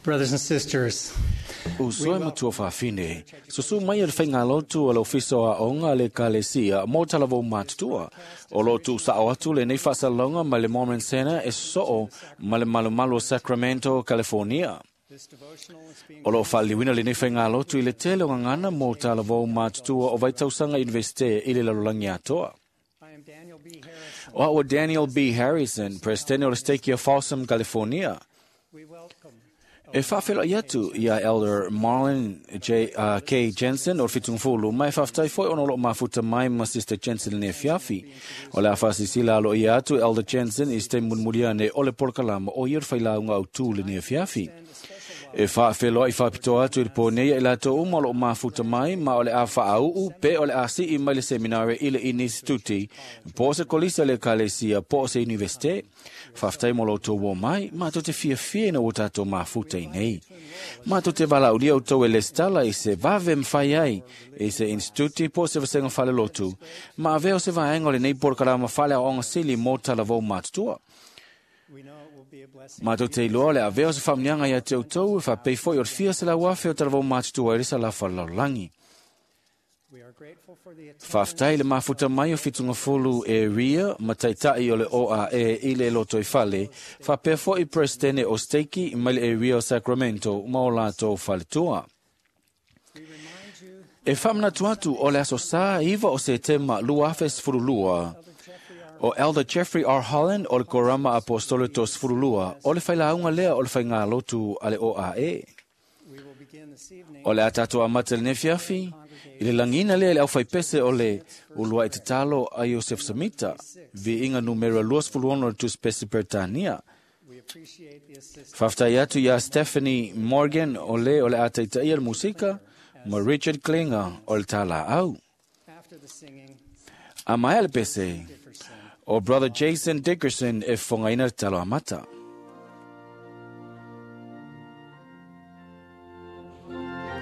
Brothers and sisters, Usoe matua whawhine, susu mai o le whaingalotu o le ofiso a onga le kalesia mō talavou matutua. O lo tu sao atu le nei whasalonga mai le Mormon Center e soo ma le malumalu o Sacramento, California. this devotional is being O lo whaaliwina le nei whaingalotu i le tele o ngangana mō talavou matutua o Vaitausanga Universite i le lalolagi atoa. I am Daniel B. Harrison. O au Daniel B. Harrison, presidente o le Stake o Folsom, California. We welcome E whawhela i atu ia Elder Marlon J, K. Jensen o Fitungfulu, mai whawhtai foi ono lo mafuta mai ma Sister Jensen le fiafi. O le awhasisila alo i atu Elder Jensen i ste munmuria ne ole porkalama o ia whailaunga au tū le ne fiafi. E whawheloa i whapito atu i le pōnei i lato uma lo mafuta mai ma o le a whaau pe o le a si i mai le seminare i le instituti po se kolisa le kalesia po se universite. Whawhtai mo lo tō wō mai, ma tō te fia na o tātou mafuta i nei. Ma tō te wala ulia o tō e le stala i se vave mwhai ai, i se instituti po se vasenga whale lotu, ma aveo se vaenga o le nei porkarama whale a onga sili mō talavou matutua. We know it will be a blessing. Ma tō te iloa le aveo se whamnianga ia te outou e whapei foi o te fia se lau afe o talavou matutua e risa la whalalaulangi. We are grateful for the attendance Whawhtai le mafuta mai o Fitungafulu e ria ma taitai o le OAE i le loto i fale, whapea foi presidente o Steiki mai le area o Sacramento ma o lato faletua. We remind you E whamnatu atu o le aso sā iwa o se tema lua afe sfurulua, o Elder Jeffrey R. Holland o le Korama Apostolo to sfurulua, o le whailaunga lea o le whainga lotu a le OAE. we will begin this evening O le a tātou a mata le nefiafi, i le langina lea le au whaipese o le ulua i te talo a Joseph Samita, vi inga numera 26 o le tuspesi Pertania. We appreciate the assistance Whawhtai atu ia Stephanie Morgan o le o le a taitaia le musika, ma Richard Klinger o le tāla au. after the singing A mai le pese, Dickerson. o Brother Jason Dickerson e whangaina le talo amata. Thank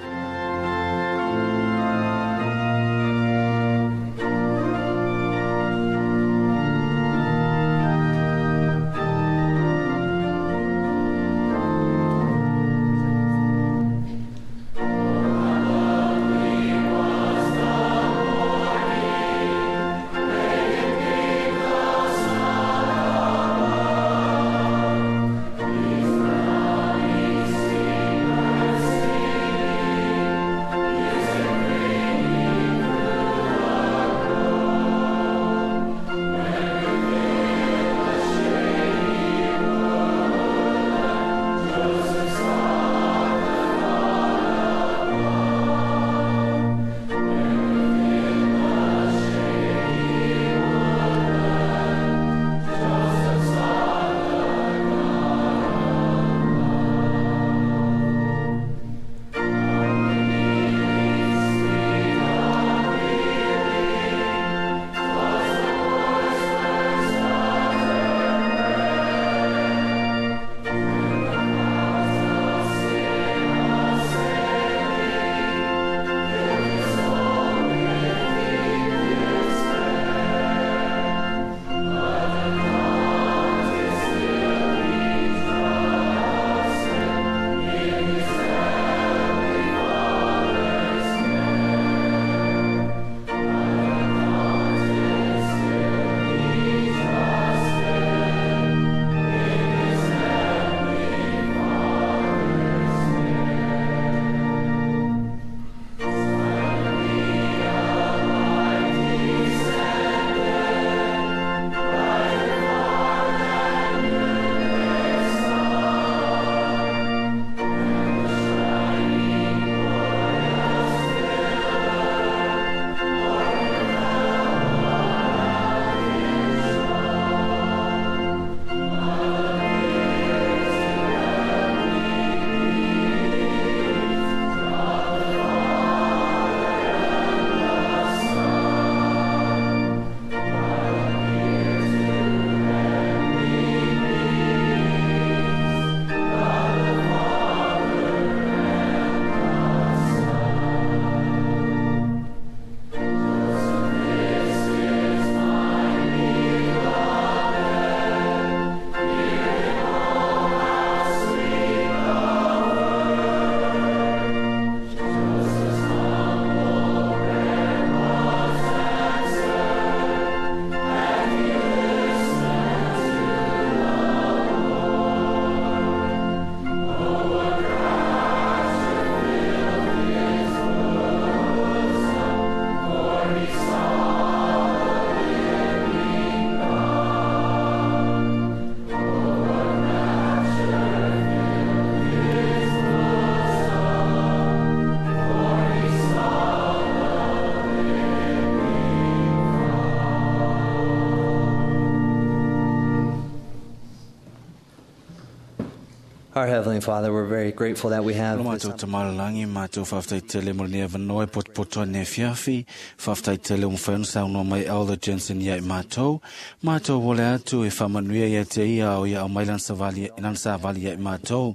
Our Heavenly Father, we're very grateful that we have Lo this mātou tamalangi, mātou whaftai tele mo le vanoe potopoto ne fiafi, whaftai tele o mwhaen saunoa mai Elder Jensen ia i mātou, mātou wole atu e whamanuia ia te ia o ia au mai lan savali, lan savali ia i mātou,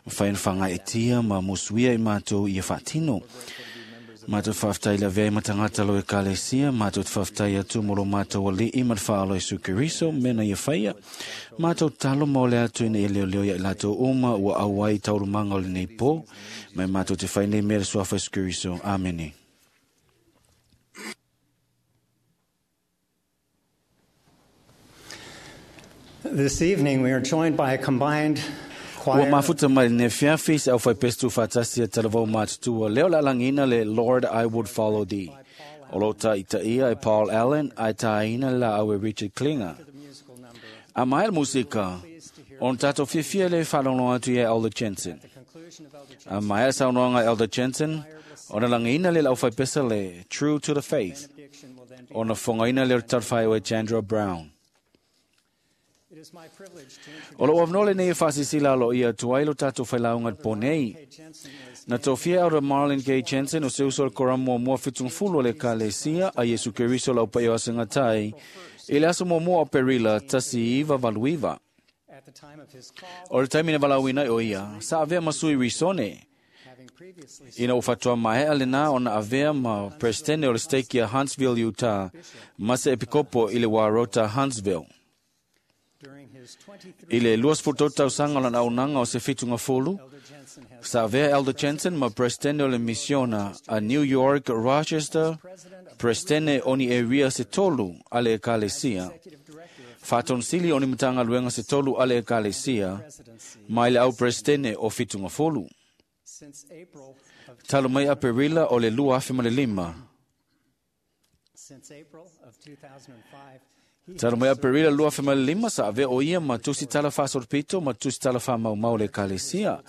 mwhaen whanga e tia ma musuia i mātou ia whatino. Mātou whaftai la vea i matangata lo e kalesia, mātou te whaftai atu mo lo mātou ali i matwhaalo e sukeriso, mena ia whaia. Mātou talo mo le atu ina ia leo leo ia i lātou uma ua auai taurumanga o le nei pō, mai mātou te whai nei mere suafa e sukeriso. Amene. This evening we are joined by a combined Ua choir. mafuta mai le fiafi se au whai pestu whatasi e talavau mātutua. Leo la langina le Lord I Would Follow Thee. O lo ta ita ia e Paul Allen, ai tāina la au e Richard Klinger. The musical number. A mai le musika, on tātou fiafia le whalongo atu ia Elder Jensen. The conclusion of Elder A mai le saunoanga Elder Jensen, ona langina le lau whai pesa le True to the Faith. Benediction will then be. Ona whangaina le tarwhai o e Chandra Brown. It is my privilege to introduce O lo avnole nei e whasisila lo ia tuai lo tātou whailaunga ponei. Kay Jensen is Na tofia Elder Marlon K. Jensen o se uso le koramu mua mua fitungfulu o le kalesia a Yesu Keriso lau pai o asingatai. I le aso mua mua o Perila, tasi iwa valuiva. at the time of his call, O le taimi na valauina i o ia, sa avea masui risone. having previously Ina o fatua maea le nā ona avea ma presidente o le stake ia Huntsville, Utah, ma se epikopo i le warota Huntsville. during his 23 I le 23 tausaga o lana auaunaga o se fitunga fulu, Elder Jensen has sa avea Elder Jensen ma presidente o le misiona a New York, Rochester, president of presidente o ni area se tolu a le ekalesia. executive director of Faatonsili o ni matagaluega se tolu a le ekalesia, presidency mai le au presidente o fitunga fulu. since April of Talo mai Aperila o le 2005. since April of 2005. He Talo mai Aperila 2005 sa avea o ia ma tusi tala whasorpito ma tusi tala whamaumau le ekalesia.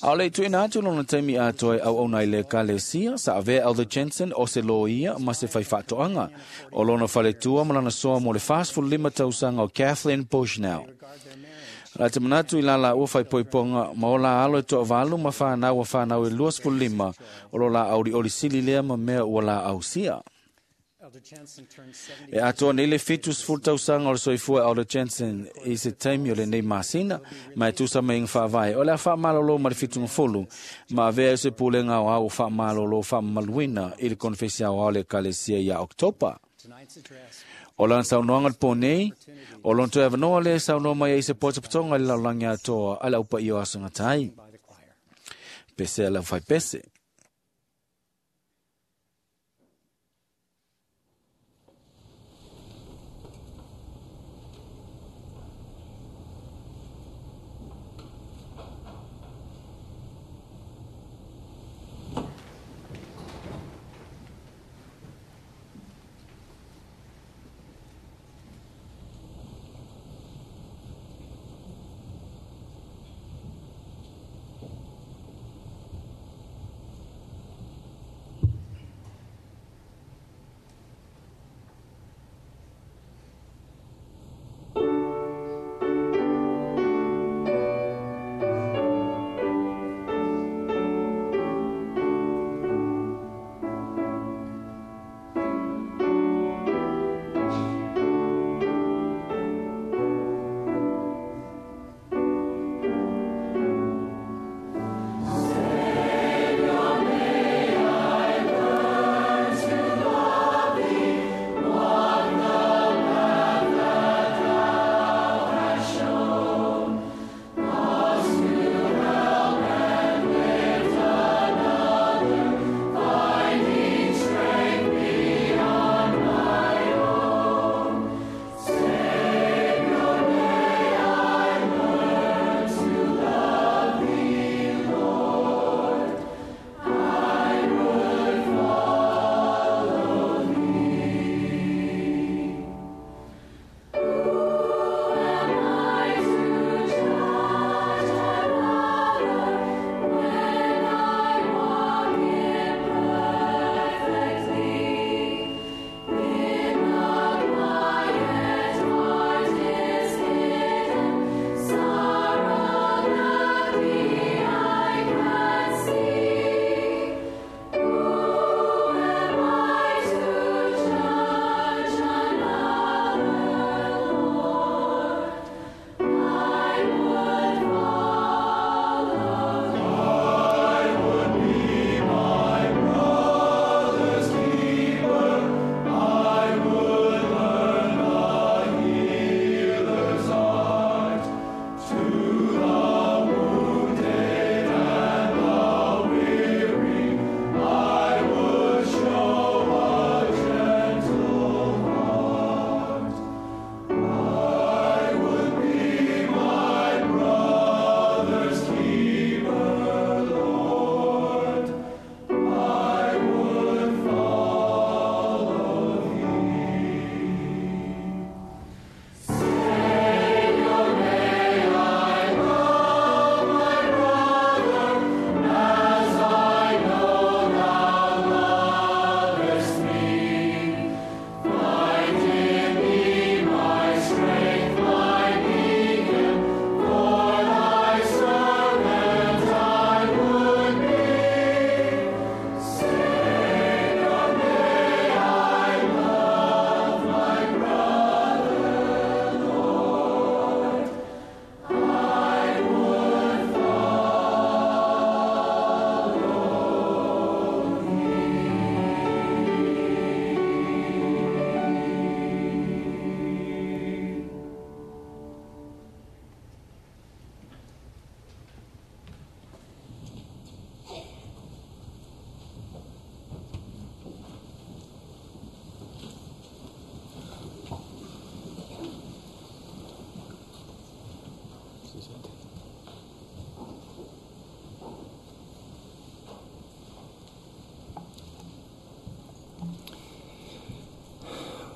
A le tuina atu lona taimi atoe au au nai le ekalesia sa avea Elder Jensen o se lo ia ma se whai whaatoanga. O lona whaletua ma lana soa mo le 45 tausaga o Kathleen Bushnell. regard their marriage La te manatu i lala ua whai poiponga ma o la alo e toa valu ma whanau a whanau e 25 o lo la auri ori sili lea ma mea ua la ausia. Elder Jensen turned 70 E atoa nei le 70 tausaga o le soifua Elder Jensen i se taimi o lenei masina, ma e tusa mai inga whaavae. O le a whaamalolo ma le fitunga fulu, ma avea e se pulenga o au whaamalolo whaamamaluina i le konfesi au au le kalesia ia Oktopa. tonight's address O lana saunoanga le pō nei, o lona toe avanoa le saunoa mai ai se potopotoga i le lalolagi atoa a le aupaia o asagatai. by the choir. Pese a le aufai pese. Thank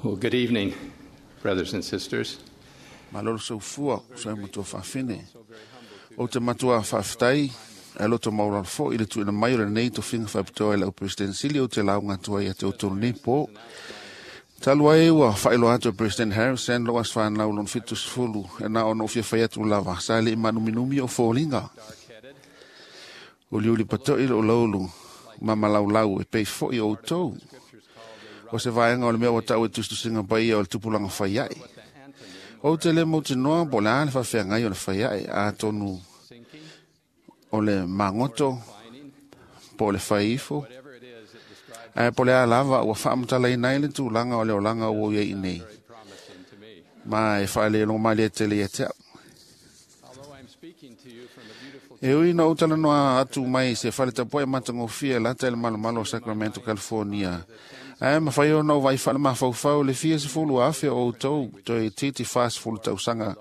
Well, good evening, brothers and sisters. Malo le soifua, uso ai ma tuafafine. Ou te matua faafetai ae loto maualalo foi i le tuuina mai o lenei tofiga faapitoa i lau Peresetene Sili ou te lauga atu ai ia te outou lenei po. Talu ai ua faailoa atu e President Harrison lou aso fanau lona 70 e na ona ou fia fai atu lava sa le i maanuminumi o foliga. Uliuli pato'i lou laulu ma malaulau e pei foi o outou. O se vaega o le mea ua ta'u e tusitusiga paia o le tupulaga faia'i. Ou te le mautinoa po o le a le faafeagai o le faia'i, atonu o le magoto po o le fai ifo, ae po o le a lava ua faamatalaina ai le tulaga o le olaga ua ou i ai nei, ma e faalelogomalie tele ia te au. E ui ina ou talanoa atu mai i se faletapuai matagofie e lata i le malomalo o Sacramento, California, ae mafai ona ou vaai faalemafaufau le fia 10,000 o outou toeitiiti 40 tausaga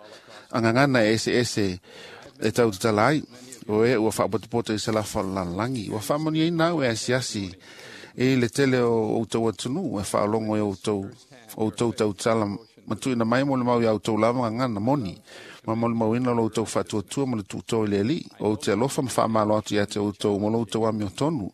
agagana e eseese e tau tatala ai. O e ua faapotopoto i se lafa o le lalolagi. Ua faamanuiaina au e asiasi i le tele o outou atunuu e faalogo e outou tautala ma tuuina mai mo le mau ia outou lava gagana moni ma molimauina lo outou faatuatua ma le tuuto i le Alii. Ou te alofa ma faamalo atu ia te outou ma lo outou amiotonu.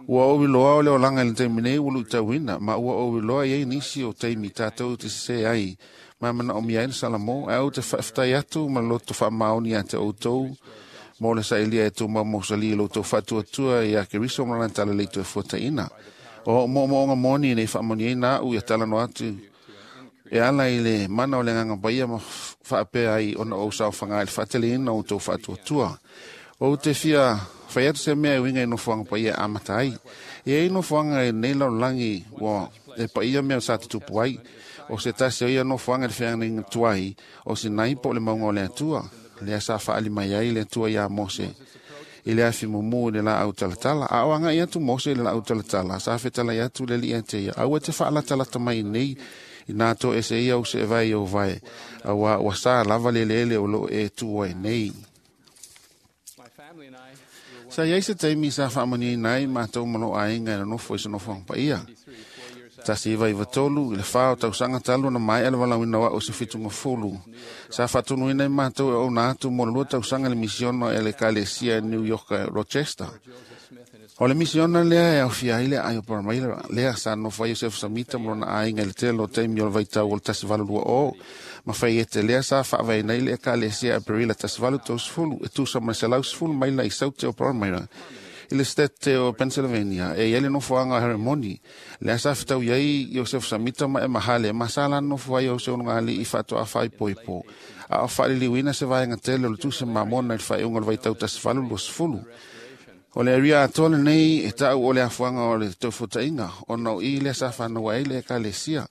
Ua ou iloa o le olaga i le taimi nei ua luitauina, ma ua ou iloa i ai nisi o taimi tatou te sese ai ma manaomia ai le Salamo, ae ou te faafetai atu ma le loto faamaoni ia te outou mo le sailia e tumau mausali i lo outou faatuatua ia Keriso ma lana talalelei toe fuataina. O moomooga moni nei faamanuiaina au ia talanoa atu e ala i le mana o le Agaga Paia ma faapea ai ona ou saofaga i le faateleina o outou faatuatua. Ou te fia fai atu se mea e uiga i nofoaga paia e amata ai. E i ai nofoaga i lenei lalolagi ua e paia mea sa tutupu ai. O se tasi o ia nofoaga i le feagaiga tuai o Sinai po o le mauga o le Atua, lea sa faali mai ai le Atua iā Mose i le afi mumu i le laau talatala. A o agai atu Mose i le laau talatala, sa fetalai atu le Alii ia te ia, aua te faalatalata mai nei inā to ese ia u se vai o vai, aua ua sa lava le eleele o loo e tu ai nei. Sa iai se taimi sa faamanuiaina ai matou ma lou aiga e nonofo i se nofoaga paia. 1993 i le 4 o tausaga talu ona maea le valaauina o au i se 70. Sa faatonuina ai matou e ouna atu mo le 2 tausaga i le misiona e le Ekalesia i New York Rochester. O le misiona lea e aofia ai le aai o Palmyra, lea sa nonofo ai Joseph Samita ma lona aiga i le tele o taimi o le vaitau o le 1820, ma faiete lea sa faavaeina ai le Ekalesia Aperila 1830 e tusa ma le 110 maila i saute o Palmyra i le state o Pennsylvania. E i ai le nofoaga o Heremoni, lea sa fetaui ai Joseph Samita ma Emma Hale, ma sa la nonofo ai o se onogalii faatoa faaipoipo, a o faaliliuina se vaega tele o le tusi mamona i le faaiuga o le vaitau 1820. O le aria atoa lenei e ta'u o le afuaga o le toefuataiga, ona o i lea sa fanau ai le Ekalesia.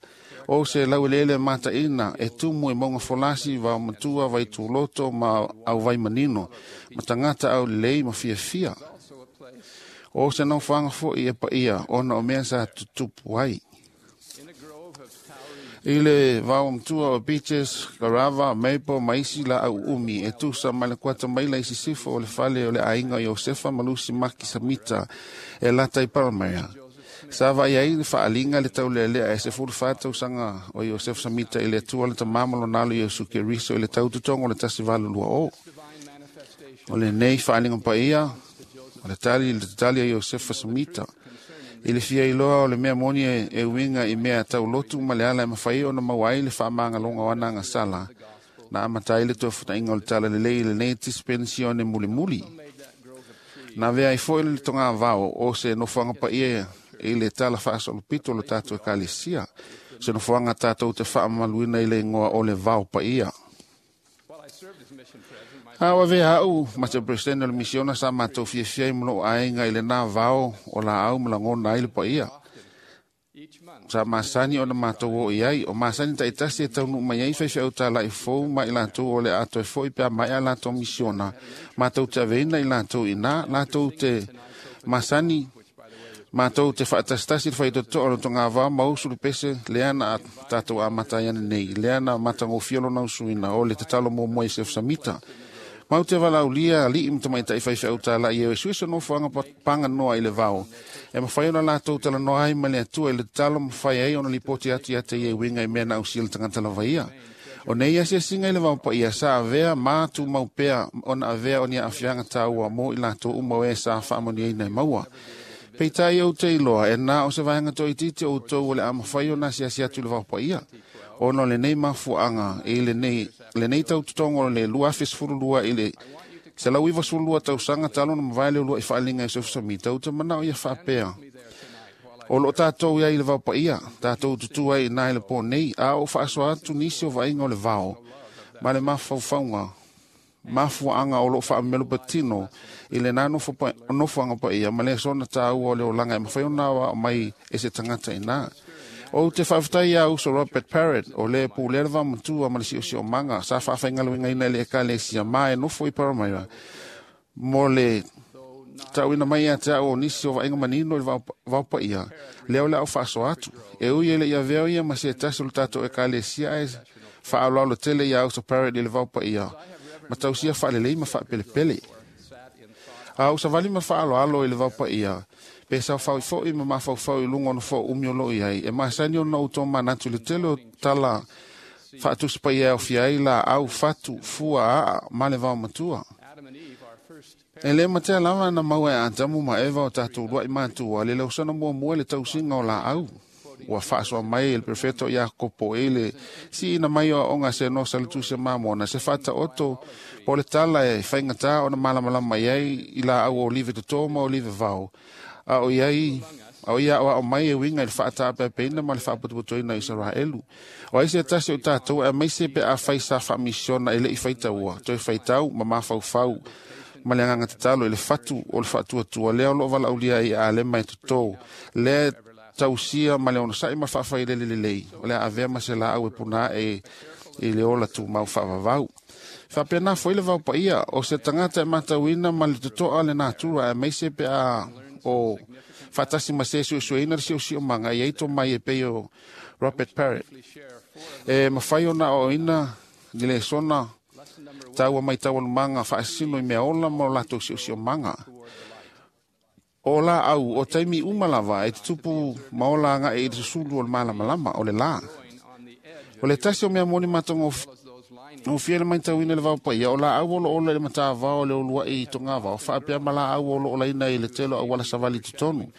O se laueleele mataina e tumu i mauga folasi, vaomatua, vaituloto ma auvai manino, ma tagata aulelei ma fiafia. O se nofoaga foi e paia ona o mea sa tutupu ai. I le vaomatua o Beaches, Garava, Maple ma isi laau umi e tusa ma le kuata maila i sisifo o le fale o le aiga o Iosefa ma Lusi Maki Samita e lata i Palmyra. Sa vaai ai le faaliga le taulealea e 14 tausaga o Iosefa Samita i le Atua le Tama ma lona alo Iesu Keriso i le tautotoga o le 1820. O lenei faaliga paia o le tali i le tatali a Iosefa Samita i le fia iloa o le mea moni e uiga i mea taulotu ma le ala e mafai ona maua ai le faamagaloga o ana agasala na amata ai le toefutaiga o le talalelei i lenei dispensione mulimuli. Na avea ai foi le togavao o se nofoaga paia i le tala faasolopito o le tatou Ekalesia, se nofoaga tatou te faamamaluina i le igoa o le vao paia. A o avea au ma te Peresetene o le misiona sa matou fiafia ai ma lou aiga i lenā vao o laau ma lagona ai le paia. Sa masani ona matou oo i ai, o masani taitasi e taunuu mai ai faifeau tala'i fou ma i latou o le a toe fo'i pe a maea latou misiona, matou te aveina i latou inā, latou te masani matou te faatasitasi le faitotoa o le togavao ma usu le pese lea na tatou amata ai ananei, lea na matagofie lona usuina o le tatalo muamua i Joseph Samita. Mau te valaulia alii ma tamaitai faifeau tala'i e suesuese nofoaga paganoa i le vao. E mawhai ona lātou talanoa ai ma le atua i le tatalo mawhai ai ona lipoti atu ia te ia i winga i mea na ausia le tagata lava ia. O nei asiasiga i le vaopaia sa avea ma tumau pea ona avea o ni aafiaga taua mo i latou uma o e sa faamanuiaina e maua. Peitai ou te iloa e na o se vaega toaitiiti o outou o le a mafai ona asiasi atu i le vaopaia. Ona o lenei mafuaaga i lenei tautotogo o le 2012 i le 192 tausaga talu ona mavae le uluai faaliga e Joseph Smith, ou te manao ia faapea. O loo tatou iai i le vaopaia, tatou tutu ai i na i le pō nei, a o faasoa atu nisi o vaaiga o le vao, ma le mafaufauga, mafuaaga o loo faamelopatino i lena nofoaga paia ma le sona tāua o le olaga e mafai ona aoao mai e se tagata ina. Ou te faafetai ia uso Robert Parrott o le pulea le vaomatua ma le siosiomaga sa faafaigaluegaina i le ekalesia ma e nofo i Palmyra mo le tauina mai ia te au o nisi o vaaiga manino i le vaopaia, lea o le au faasoa atu. E ui e le i avea ia ma se tasi o le tatou ekalesia ae faaaloalo tele ia uso Parrott i le vaopaia ma tausia faalelei ma faapelepele. A ou savali ma faaaloalo i le vaopaia, pe saofai foi ma mafaufau i luga o nofoa umi o loo i ai, e masani ona ou tomanatu i le tele o tala faatusipaia e aofia ai laau, fatu, fua, aa ma le vaomatua. E le matea lava na maua e Atamu ma Eva o tatou luai matua le lausana muamua i le tausiga o laau. Ua faasoa mai e le perfeto Iakopo e le siina mai o aoga se nosa le tusi a Mamona se faataoto po le tala e faigata ona malamalama i ai i laau o olive toto ma olive vao. A o ia aoao mai e uiga i le faataapeapeina ma le faaputuputuina o Isaraelu. O ai se tasi o tatou aemaise pe afai sa faamisiona e le i faitaua, toe faitau ma mafaufau ma le agaga tatalo i le fatu o le faatuatua lea o loo valaaulia ai a alema e toto, lea tausia ma le onosai ma faafailele lelei, o le a avea ma se laau e puna ae i le ola tumau faavavau. Faapena foi le vaopaia o se tagata e matauina ma le totoa le natura aemaise pe a o faatasi ma se suesueina le siosiomaga i ai tomai e pei o Robert Parrott. E mafai ona aoaoina ni lesona taua mai taualumaga faasino i mea ola ma o latou siosiomaga. O laau o taimi uma lava e tutupu ma ola agai i le susulu o le malamalama o le la. O le tasi o mea moni matagofie le matauina i le vaopaia, o laau o loo ola i le matavao o le uluai i togavao, faapea ma laau o loo olaina i le tele o auala savali i totonu.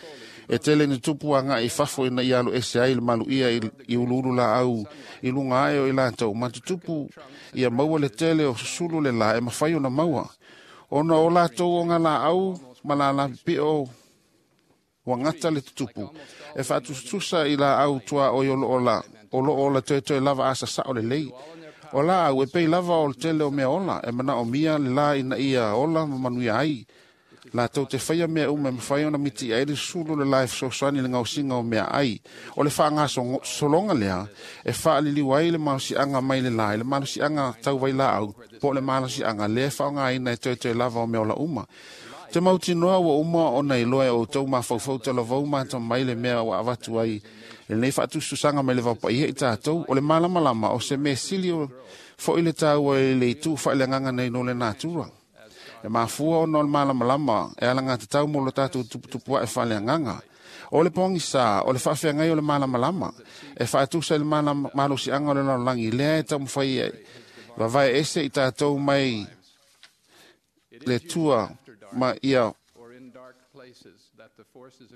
E tele ni tupu agai i fafo ina ia alu ese ai le maluia i uluulu laau i luga ae o i latou, ma tutupu ia maua le tele o susulu le la e mafai ona maua. Ona o latou o ngā laau ma la pipio ua gata le tutupu, e faatusutusa i laau tua oi o loo ola toetoe lava asa sao lelei. O laau e pei lava o le tele o mea ola, e manaomia le la ina ia ola ma manuia ai. Latou te faia mea uma e mafai ona miti ai le susulu le la e fesoasoani i le gaosiga o mea ai. O le faagasologa lea e faaliliu ai le malosiaga mai le la i le malosiaga tau vailaau po o le malosiaga lea e faaaogaina e toetoe lava o mea ola uma. Te mautinoa ua uma ona iloa e outou mafaufau talavou ma mai le mea ua avatu ai lenei faatususaga mai le vaopaia i tatou. O le malamalama o se mea sili foi le taua i le itu faaleagaga nei no le natura. E mafua ona o le malamalama e alagatatau mo lo tatou tuputupu ae faaleagaga. O le pogisa o le faafeagai o le malamalama e faatusa i le malosiaga o le lalolagi lea e taumafai ai vavae ese i tatou mai le tua ma ia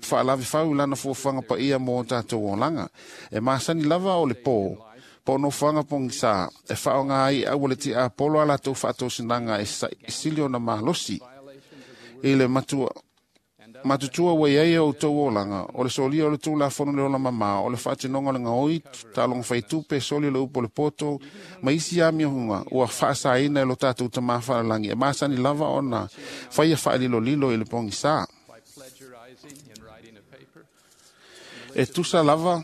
faalavefau i lana fuafuaga paia mo tatou olaga. E masani lava o le pō, po o nofoaga pogisa e faaaoga ai aua le tiapolo a latou faatosinaga e sili ona malosi. I le matutua ua iai o outou olaga, o le solia o le tulafono le ola mamao, o le faatinoga o le gaoi, taaloga faitupe, soli o le upu o le poto, ma isi amioga ua faasaina e lo tatou tamā faalalagi, e masani lava ona faia faalilolilo i le pogisa. E tusa lava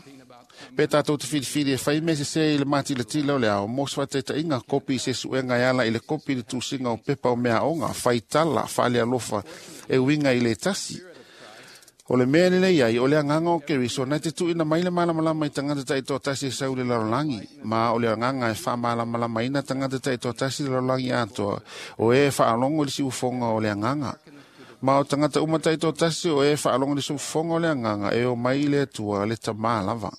pe tatou te filifili e fai mea sese i le matilatila o le ao, mo se faataitaiga kopi i se suega e ala i le kopi i le tusiga o pepa o meaoga, faitala, faalealofa e uiga i le tasi. O le mea lelei ai, o le agaga o Keriso na te tuuina mai le malamalama i tagata taitoatasi e sau i le lalolagi, ma o le agaga e faamalamalamaina tagata taitoatasi i le lalolagi atoa, o e faalogo i le siufofoga o le agaga. Ma o tagata uma taitoatasi o e faalogolisofofoga o le agaga e omai i le Atua le Tamā lava.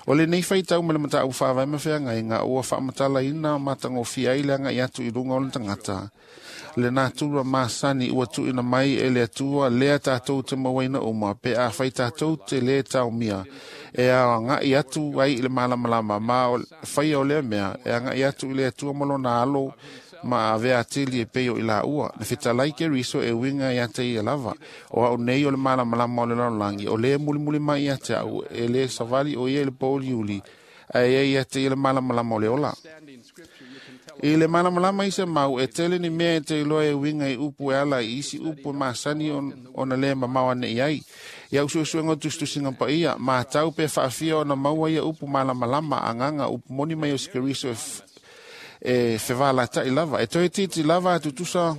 O lenei faitau ma le mataupu faavae ma feagaiga ua faamatalaina matagofie ai le agai atu i luga o le tagata. Le natura masani ua tuuina mai e le Atua lea tatou te mauaina uma pe afai tatou te lē taomia e agai atu ai i le malamalama ma o faia o lea mea e agai atu i le Atua ma lona alo ma avea atili e pei o i laua. Na fetalai Keriso e uiga ia te ia lava. O au nei o le malamalama o le lalolagi, o lē mulimuli mai ia te au, e lē savali o ia i le pouliuli, ae ia ia te ia le malamalama o le ola. I le malamalama i se mau, e tele ni mea e te iloa e uiga i upu e ala i isi upu e masani ona lē mamao ane i ai. Ia usuusuega o tusitusiga paia, matau pe faafia ona maua ia upu malamalama agaga upu moni mai o se Keriso e fevalataʻi lava. E toe titi lava atutusa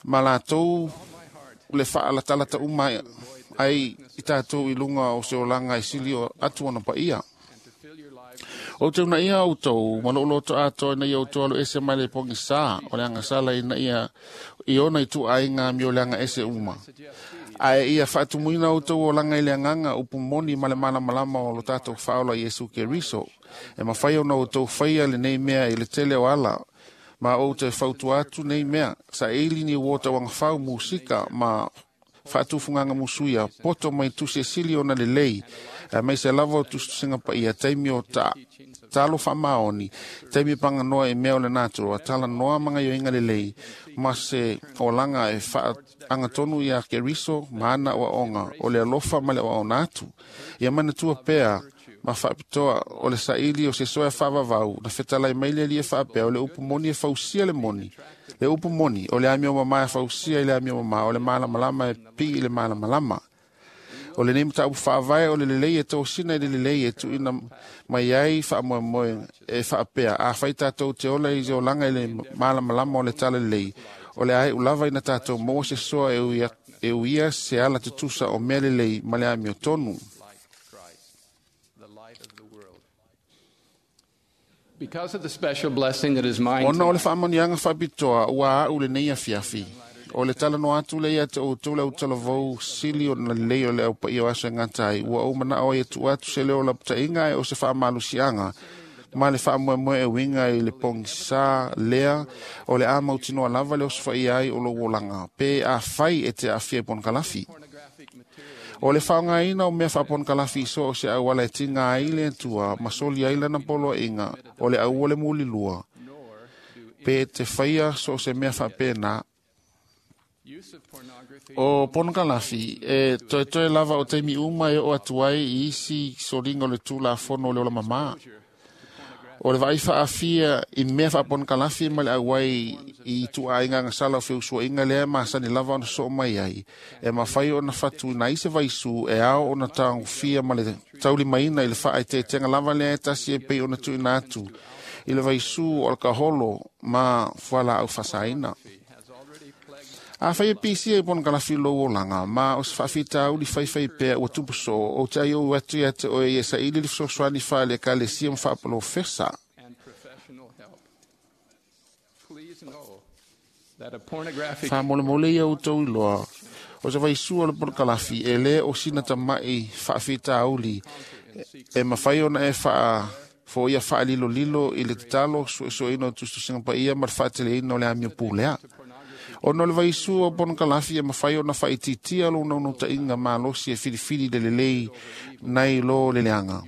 ma latou le faalatalata uma ai i tatou i luga o se olaga e sili atu ona paia. O te unaia outou, ma lou loto atoa ina ia outou alo ese mai le pogisā o le agasala ina ia i ona i tuuaiga amio leaga ese uma. Ae ia faatumuina outou olaga i le agaga upu moni ma le malamalama o lo tatou faaola Iesu Keriso. E mafai ona outou faia lenei mea i le tele o ala, ma ou te fautua atu nei mea, saili ni uo tauagafau musika ma faatufugaga musuia, poto mai tusi e sili ona lelei, aemaise lava o tusitusiga paia, taimi o talo faamaoni, taimi paganoa i mea o le natura, talanoa ma gaioiga lelei, ma se olaga e faaagatonu iā Keriso ma ana oaoga o le alofa ma le oaona atu. Ia manatua pea ma faapitoa o le saili o se soea faavavau na fetalai mai le Alii e faapea o le upu moni e fausia le moni. Le upu moni o le amio mamā e fausia i le amio mamā, o le malamalama e pii i le malamalama. O lenei mataupu faavae o le lelei e tosina i le lelei e tuuina mai ai faamoemoe e faapea afai tatou te ola i se olaga i le malamalama o le talalelei, o le aeʻu lava ina tatou maua se soa e uia se ala tutusa o mea lelei ma le amiotonu. Because of the special blessing that is mine Ona o le faamanuiaga faapitoa ua aʻu lenei afiafi, o le talanoa atu lea ia te outou le autalavou sili ona lelei o le aupaia o aso e gata ai, ua ou manao ai e tuu atu se leo o lapataiga ae o se faamalusiaga ma le faamoemoe e uiga i le pogisā lea o le a mautinoa lava le osofaia ai o lou olaga pe afai e te aafia i ponokalafi. O le faaaogaina o mea faaponokalafi i so o se auala e tiga ai le Atua ma soli ai lana poloaiga o le aua le mulilua, pe te faia so o se mea faapena. O ponokalafi e toetoe lava o taimi uma e oo atu ai i isi soliga o le tulafono o le ola mamā. O le vaai faafia i mea faaponokalafi ma le auai i tuuaiga agasala o feusuaiga lea masani lava ona soo mai ai, e mafai ona fatuina ai se vaisū e ao ona tagofia ma le taulimaina i le faaeteetega lava lea e tasi e pei ona tuuina atu i le vaisū o le kaholo ma fualaau faasaina. Afai e pisia i ponokalafi lou olaga ma o se faafitauli faifai pea ua tupu soo, ou te aiou atu ia te oe ia saili le fesoasoani faale-Ekalesia ma faapolofesa. and professional help. Please know that a pornographic Faamolemole ia outou iloa o se vaisua o le ponokalafi e lē o sina tamaʻi faafitauli e mafai ona e faafoia faalilolilo i le tatalo suesueina o tusitusiga paia ma le faateleina o le amio pulea. Ona o le vaisua o ponokalafi e mafai ona faaitiitia lou naunautaiga malosi e filifili le lelei nai lo le leaga.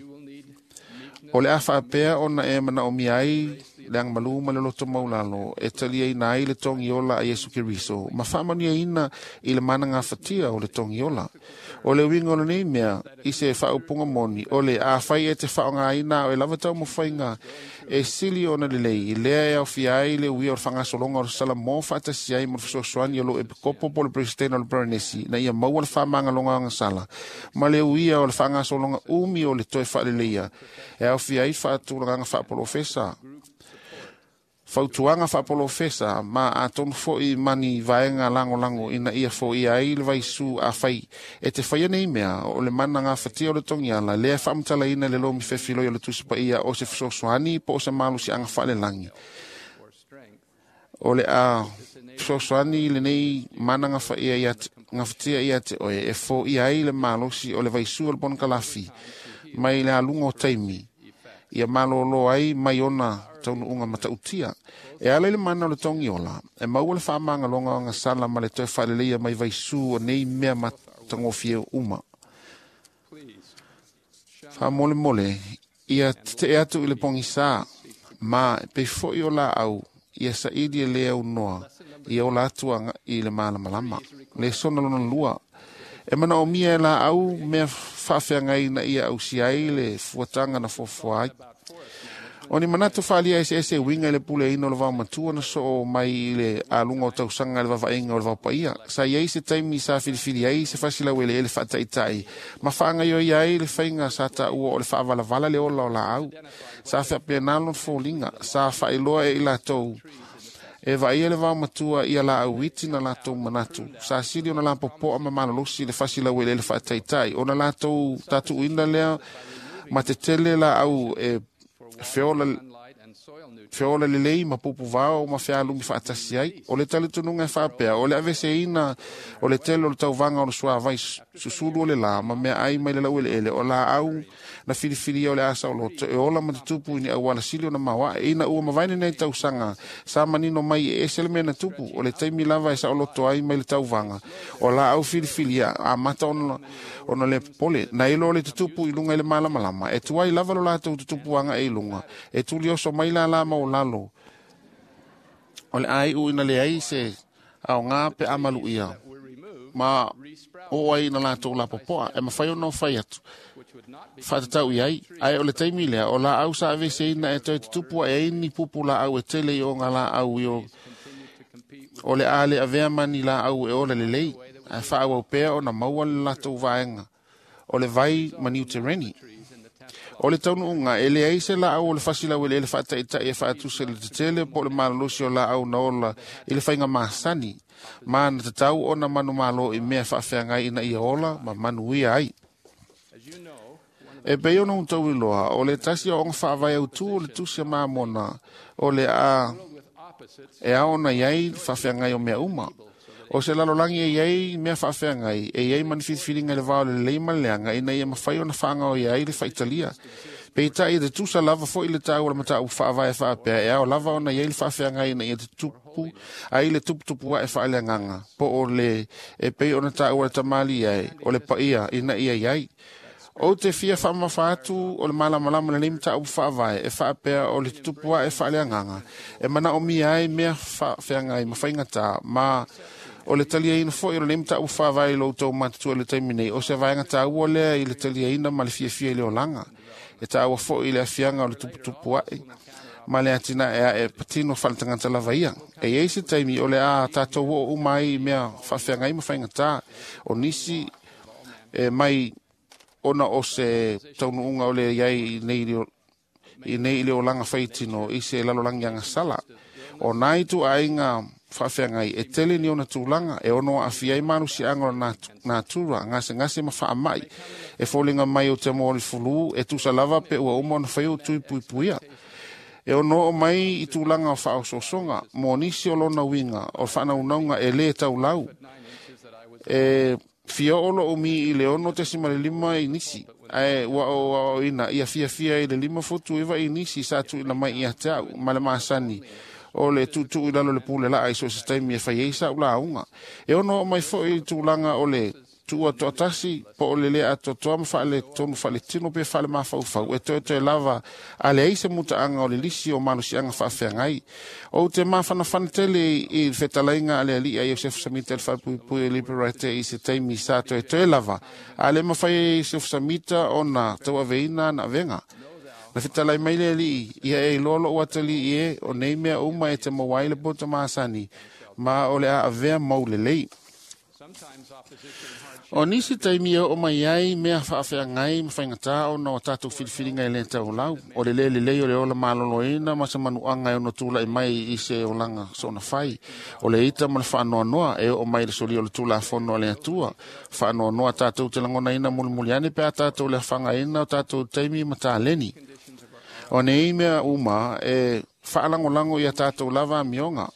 O le a faapea ona e manaomia ai le agamalū ma le loto maulalo e taliaina ai le togiola a Iesu Keriso ma faamanuiaina i le managafatia o le togiola. O le uiga o lenei mea i se faaupuga moni o le afai e te faaaogaina ao e lava taumafaiga e sili ona lelei lea e aofia ai le uia o le faagasologa o le Salamo faatasi ai ma le fesoasoani o lou epikopo po o le Peresetene o le Perenesi na ia maua le faamagaloga agasala ma le uia o le faagasologa umi o le toe faaleleia e aofia ai faatulagaga faapolofesa fautuaga faapolofesa ma atonu foʻi mani vaega lagolago ina ia foia ai le vaisū afai e te faia nei mea o le mana gafatia o le togiala lea e faamatalaina le lomi fefiloi o le Tusi Paia o se fesoasoani po o se malosiaga faalelagi or strength o le a this fesoasoani i lenei mana gafatia ia te oe e foia ai le malosi o le vaisua o le ponokalafi mai le aluga o taimi ia malōlō ai mai ona taunuuga matautia. E ala i le mana o le togiola, e maua le faamagaloga o agasala ma le toe faaleleia mai vaisū o nei mea matagofie uma. Faamolemole, ia tetee atu i le pogisā, ma e pei foi o laau, ia saili e lē aunoa, ia ola atu i le malamalama. Lesona lona lua, e manaomia e laau mea faafeagai ina ia ausia ai le fuataga na fuafua ai. O ni manatu faaalia eseese e uiga i le puleaina o le vaomatua na soo mai i le aluga o tausaga i le vaavaaiga o le vaopaia. Sa i ai se taimi sa filifili ai se fasilaueleele faataitai ma faagaioia ai le faiga sa taua o le faavalavala le ola o laau. Sa faapena lona foliga, sa faailoa e i latou e vaaia le vaomatua ia laau iti na latou manatu. Sa sili ona lapopoa ma malolosi le fasilaueleele faataitai ona latou tatuuina lea ma tetele laau e feola lelei ma pupuvao ma fealumi faatasi ai. O le talitonuga e faapea, o le aveseina o le tele o le tauvaga o le suavai susulu o le lā ma mea ai mai le laueleele o laau na filifilia o le asa o loto e ola ma tutupu i ni auala sili ona maoae. Ina ua mavae lenei tausaga sa manino mai e ese le mea na tupu o le taimi lava e saoloto ai mai le tauvaga o laau filifilia amata ona le popole na ilo o le tutupu i luga i le malamalama e tuai lava lo latou tutupu aga e i luga e tulioso mai lala ma o lalo o le aiu ina leai se aoga pe amaluia ma o ai na latou lapopoa e mafai ona fai atu faatatau i ai ae o le taimi lea o laau sa aveseina e toe tutupu ae ai ni pupu laau e tele i oga laau i o le a le avea ma ni laau e ola lelei ae faaauau pea ona maua le latou vaega o le vai ma niutereni. O le taunuuga e leai se laau o le fasilaueleele faataitai e faatusa i le tetele po o le malolosi o laau na ola i le faiga masani ma na tatau ona manumalo i mea faafeagai ina ia ola ma manuia ai. E pei ona outou iloa, o le tasi o aoga faavae autū o le tusi a Mamona o le a e ao ona i ai faafeagai o mea uma. O se lalolagi e i ai mea faafeagai, e i ai ma ni filifiliga i le va o le lelei ma le leaga ina ia mafai ona faagaoia ai le faitalia. Peitai e tutusa lava foi le taua o le mataupu faavae faapea e ao lava ona i ai le faafeagai ina ia tutupu ai le tuputupu ae faaleagaga po o le e pei ona taua le tamali ai o le paia ina ia i ai. Ou te fia faamamafa atu o le malamalama lenei mataupu faavae e faapea o le tutupu ae faaleagaga e manaomia ai mea faafeagai ma faigatā ma o le taliaina foi o lenei mataupu faavae i lo outou matutua i le taimi nei o se vaega taua lea i le taliaina ma le fiafia i le olaga. E taua foi i le afiaga o le tuputupu ae ma le atinae ae patino faaletagata lava ia. E i ai se taimi o le a tatou oo uma ai i mea faafeagai ma faigatā o nisi e mai ona o se taunuuga o le iai i nei i le olaga faitino i se lalolagi agasala. O nai tuaiga faafeagai e tele ni ona tulaga e ono aafia ai malosiaga o le natura gasegase ma faamai e foliga mai o te mo le fulū e tusa lava pe ua uma ona fai o tui puipuia. E ono oo mai i tulaga o faaosoosoga mo nisi o lona uiga o faanaunauga e lē taulau. E fia oo lou mi i le 6.5 i nisi ae ua ou aoaoina ia fiafia i le 5.9 i nisi sa tuuina mai ia te au ma le masani o le tuutuu i lalo le pule laa i so o se taimi e fai ai sa'u lauga. E ono oo mai foi i le tulaga o le tuua toatasi po o le lē atoatoa ma faaletonu faaletino pe faalemafaufau e toetoe lava a leai se mutaaga o le lisi o malosiaga faafeagai. Ou te mafanafana tele i le fetalaiga a le alii a Iosefu Samita i le faapuipui o Liberate i se taimi sa toetoe lava a le mafai e Iosefu Samita ona tauaveina ana avega. Na fetalai mai le alii ia e iloa lou atalii e o nei mea uma e te maua ai le poto masani ma o le a avea mau lelei. O nisi taimi e oo mai ai mea faafeagai ma faigatā ona o tatou filifiliga e lē taulau o le lē lelei o le ola maloloina ma se manuaga e ono tula'i mai i se olaga soona fai. O le ita ma le faanoanoa e oo mai le solia o le tulafono a le Atua. Faanoanoa tatou te lagonaina mulimuli ane pe a tatou le afagaina o tatou taimi ma taleni. O nei mea uma e faalagolago ia tatou lava amioga.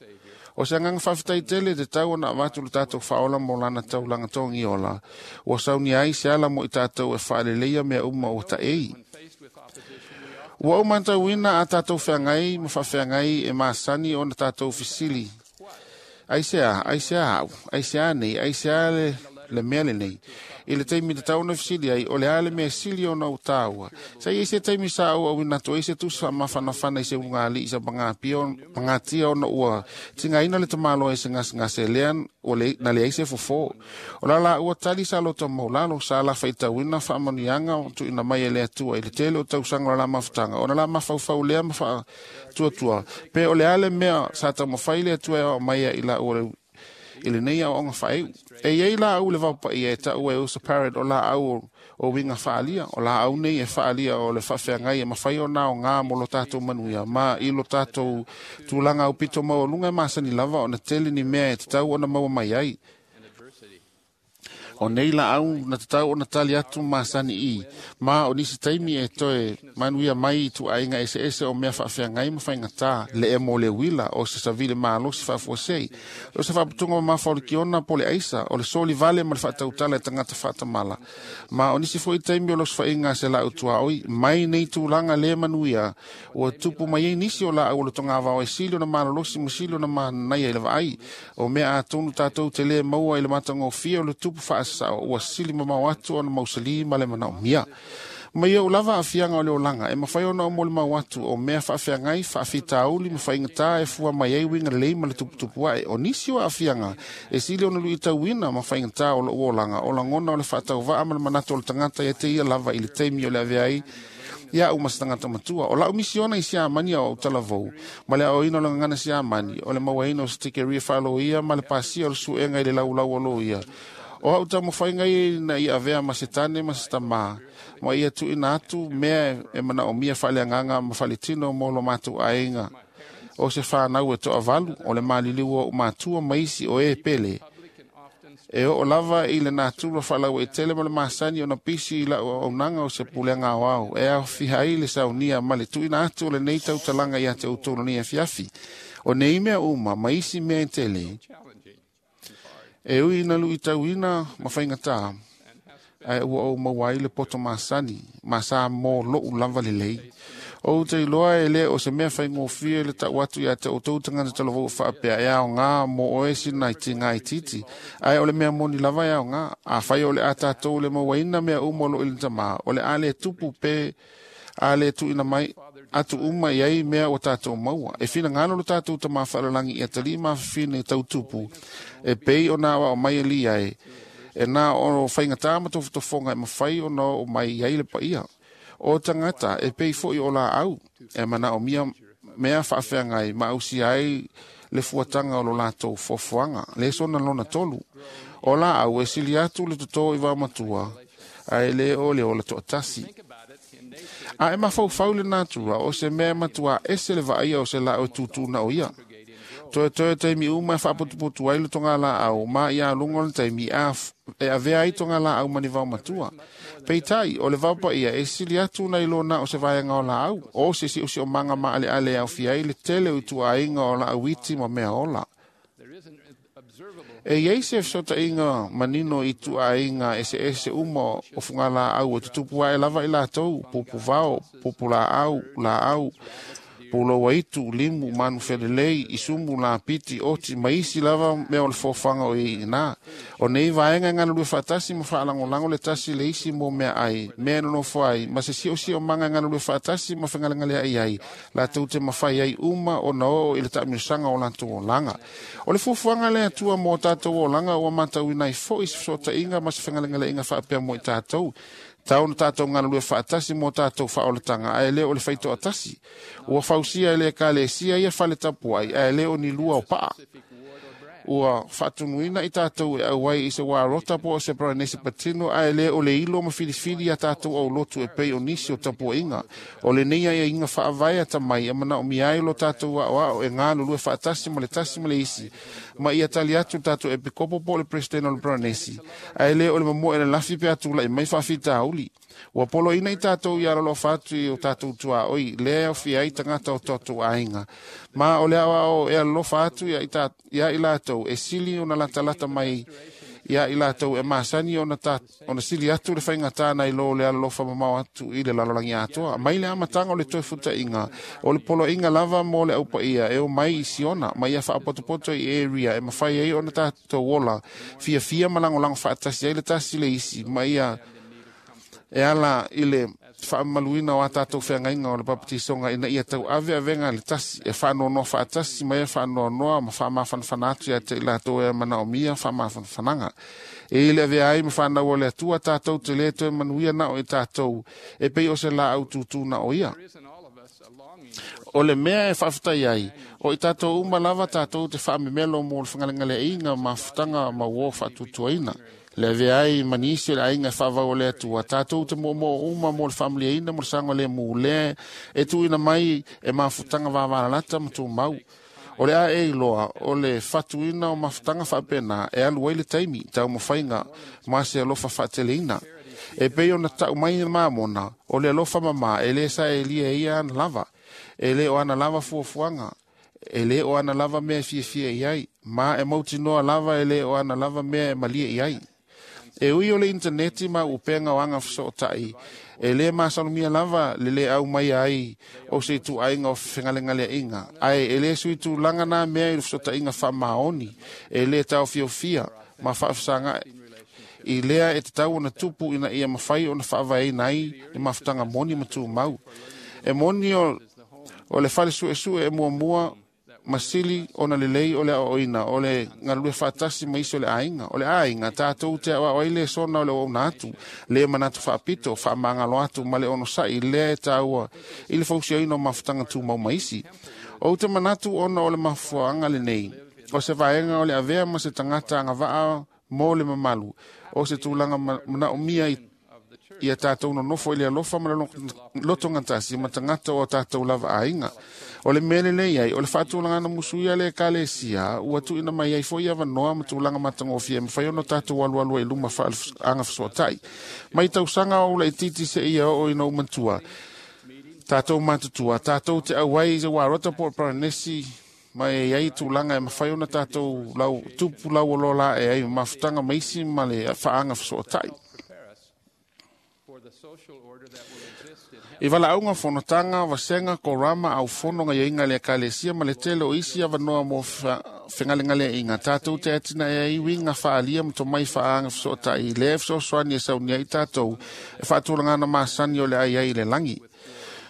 O se agaga faafetai tele te tau ona avatu le tatou faaola mo lana taulaga togiola, ua saunia ai se ala mo i tatou e faaleleia mea uma ua taei. Ua ou matauina a tatou feagai ma faafeagai e masani ona tatou fesili. Aisea, aisea au, aisea nei, aisea le mea lenei. I le taimi tatau ona fesili ai, o le a le mea sili ona ou tāua. Sa iai se taimi sa ou auina atu ai se tusi faamafanafana i se ulugalii sa pagatia ona ua tigaina le tamaloa i se gasegase lea na leai se fofo. O la laua tali sa loto maulalo sa lafaitauina faamanuiaga tuuina mai e le Atua i le tele o tausaga o le la mafutaga ona la mafaufau lea ma faatuatua pe o le a le mea sa taumafai le Atua e aoao mai ai i laua i lenei aoaoga faaiu. E iai laau le vaopaia e taua e Usa Parrot o laau o uiga faaalia. O laau nei e faaalia o le faafeagai e mafai ona aoga mo lo tatou manuia ma i lo tatou tulaga aupito maualuga e masani lava ona tele ni mea e tatau ona maua mai ai. O nei laau na tatau ona tali atu masani i, ma o nisi taimi e toe manuia mai i tuaiga eseese o mea faafeagai ma faigata, le emo o le uila, o se savili malosi faafuasei, o se faaputuga mamafa o le kiona po le aisa, o le soli vale ma le faatautala e tagata faatamala. Ma o nisi foi taimi o le osofaiga a se laau tuaoi, mai nei tulaga le manuia, ua tupu mai ai nisi o laau o le togavao e sili ona malolosi ma sili ona manaia i le vaai. O mea atonu tatou te le maua i le matagofie o le tupu faasasao, ua sili mamao atu ona mausali ma le manaomia. Mai ou lava aafiaga o le olaga, e mafai ona ou molimau atu o mea faafeagai, faafitauli ma faigata e fua mai ai uiga lelei ma le tuputupu ae. O nisi o aafiaga e sili ona luitauina ma faigata o lou olaga, o lagona o le faatauvaa ma le manatu o le tagata ia te ia lava i le taimi o le avea ai ia au ma se tagata matua. O lau misiona i Siamani o au talavou, ma le aoaoina o le gagana Siamani, o le mauaina o se tikeria faaloia ma le pasia o le suega i le laulau o loia. O au taumafaiga ia ina ia avea ma se tane ma se tamā, ma ia tuuina atu mea e manaomia faaleagaga ma faaletino mo lo matou aiga. O se whanau e toavalu, o le maliliu o ou matua ma isi o e pele. E oo lava i le natura faalaua i tele ma le masani ona pisi i lau auaunaga o se pulega aoao. E aofia ai le saunia ma le tuuina atu o lenei tautalaga ia te outou lenei afiafi. O nei mea uma ma isi mea e tele, e ui ina luitauina ma faigata, ae ua ou maua ai le poto masani, ma sa mo lou lava lelei. O te iloa e le o se mea faigofie le tau atu ia te outou tagata talavou faapea e aoga mo oe sina i tiga itiiti, ae o le mea moni lava e aoga. Afai o le a tatou le mauaina mea uma o loo i le tamā, o le a le tupu pe a le tuuina mai atu uma i ai mea ua tatou maua. E finagalo lo tatou tamā faalalangi ia talii mafafine tau tupu, e pei ona aoao mai e lia e, e na o faigata ma tofotofoga e mafai ona oo mai i ai le paia. O tagata e pei foi o laau, e manaomia mea faafeagai ma ausia ai le fuataga o lo latou foafoaga. Lesona lona 3. O laau e sili atu le totō i vaomatua, ae le o le ola toatasi. A e mafaufau le natura o se mea matua ese le vaaia o se laau e tūtū na o ia. Toe taimi uma e faaputuputu ai le toga laau, ma ia aluga o le taimi e avea ai toga laau ma ni vaomatua. Peitai, o le vaopaia e sili atu nai lo na o se vaega o laau, o se siosiomaga maaleale e aofia ai le tele o ituaiga o laau iti ma mea ola. E iai se fesootaiga manino i tuaiga eseese uma o fugalaau e tutupu ae lava i latou, pupuvao, pupulaau, laau, puloua itu, limu, manu felelei, isumu, lapiti, oti, ma isi lava mea o le fofaga o i ina. O nei vaega e galulue faatasi ma faalagolago le tasi le isi mo mea ai, mea e nonofo ai, ma se siosiomaga e galulue faatasi ma fegalegaleai ai, latou te mafai ai uma ona oo i le taamilosaga o latou olaga. O le fuafuaga le Atua mo tatou olaga ua matauina ai foi se fesootaiga ma se fegalegaleaiga faapea mo i tatou. Tau na tatou galulue faatasi mo tatou faaolataga, ae le o le faitoatasi. Ua fausia e le ekalesia ia fale tapuai, ae le o ni lua o paa. Ua faatunuina i tatou e auai i se warota po o se paranesi patino, ae le o le ilo ma filifili ia tatou aulotu e pei o nisi o tapuaiga. O lenei aiaiga faavae atamai e manaomia ai lo tatou aoao e galulue faatasi ma le tasi ma le isi, ma ia tali atu le tatou epikopo po o le presidente o le paranesi, ae le o le mamoe le lafi pe atulai mai faafitauli. Ua poloaiina i tatou ia alolofa atu i o tatou tuaoi, lea e aofia ai tagata o tatou aiga. Ma o le aoao e alolofa atu ia i latou e sili ona latalata mai ia i latou e masani ona sili atu le faigata nai lo le alolofa mamao atu i le lalolagi atoa. Mai le amataga o le toe futaiga, o le poloaiga lava mo le aupaia e o mai i Siona, ma ia faapotopoto i area e mafai ai ona tatou ola fiafia ma lagolago faatasi ai le tasi le isi, ma ia e ala i le faamamaluina o a tatou feagaiga o le papatisoga ina ia tauave avega le tasi e faanoanoa faatasi ma ia faanoanoa ma faamafanafana atu ia te i latou e manaomia faamafanafanaga. E i le avea ai ma fanau o le Atua tatou te le toe manuia na o i tatou e pei o se laau tūtū na o ia. O le mea e faafetai ai, o i tatou uma lava tatou te faamemelo mo le fegalegaleaiga ma mafutaga ma uo faatuatuaina. Le avea ai ma nisi o le aiga e faavau o le Atua, tatou te moomoo uma mo le faamaliaina mo le saga le mu lea e tuuina mai e mafutaga vavalalata ma tumau. O le a e iloa, o le fatuina o mafutaga faapena e alu ai le taimi, taumafaiga ma se alofa faateleina. E pei ona tau mai mamona, o le alofa mama e le saelia ia ana lava, e le o ana lava fuafuaga, e le o ana lava mea e fiafia i ai, ma e mautinoa lava e le o ana lava mea e malie i ai. E ui o le interneti ma upenga o aga feso'ota'i, e lē masalomia lava le lē au mai ai o se ituaiga o fegalegalea'iga, ae e lē sui tulaga na mea i le feso'otaiga faamaoni, e lē taofiofia ma faafesaga'i i lea e tatau ona tupu ina ia mafai ona faavaeina ai le mafutaga moni ma tumau. E moni o le fale suesue e muamua ma sili ona lelei o le aoaoina o le galulue faatasi ma isi o le aiga. O le aiga tatou te aoao ai le sona o le auauna atu, le manatu faapito, faamagalo atu ma le onosa'i lea e taua i le fausiaina o mafutaga tumau ma isi. Ou te manatu ona o le mafuaaga lenei, o se vaega o le avea ma se tagata agavaa mo le mamalu, o se tulaga manaomia ia tatou nonofo i le alofa ma le lotogatasi ma tagata o tatou lava aiga. O le mea lelei ai, o le faatulagana musuia le ekalesia, ua tuuina mai ai foi avanoa ma tulaga matagofie e mafai ona tatou alualu ai i luma faaaga fesoatai. Mai tausaga o laitiiti seia oo ina ou matua, tatou matutua, tatou te auai i se uarota po o Paranesi, ma e iai tulaga e mafai ona tatou lau, tupu lauoloa la e ai mafutaga ma isi ma le faaga fesoatai. I valaauga fonotaga, vasega, korama, aufono gaiaiga le ekalesia ma le tele o isi avanoa mo fegalegaleaiga, tatou te atinae ai uiga faaalia ma tomai faaaga fesoatai lea e fesoasoani e saunia ai tatou e faatulagana masani o le ai ai i le lagi.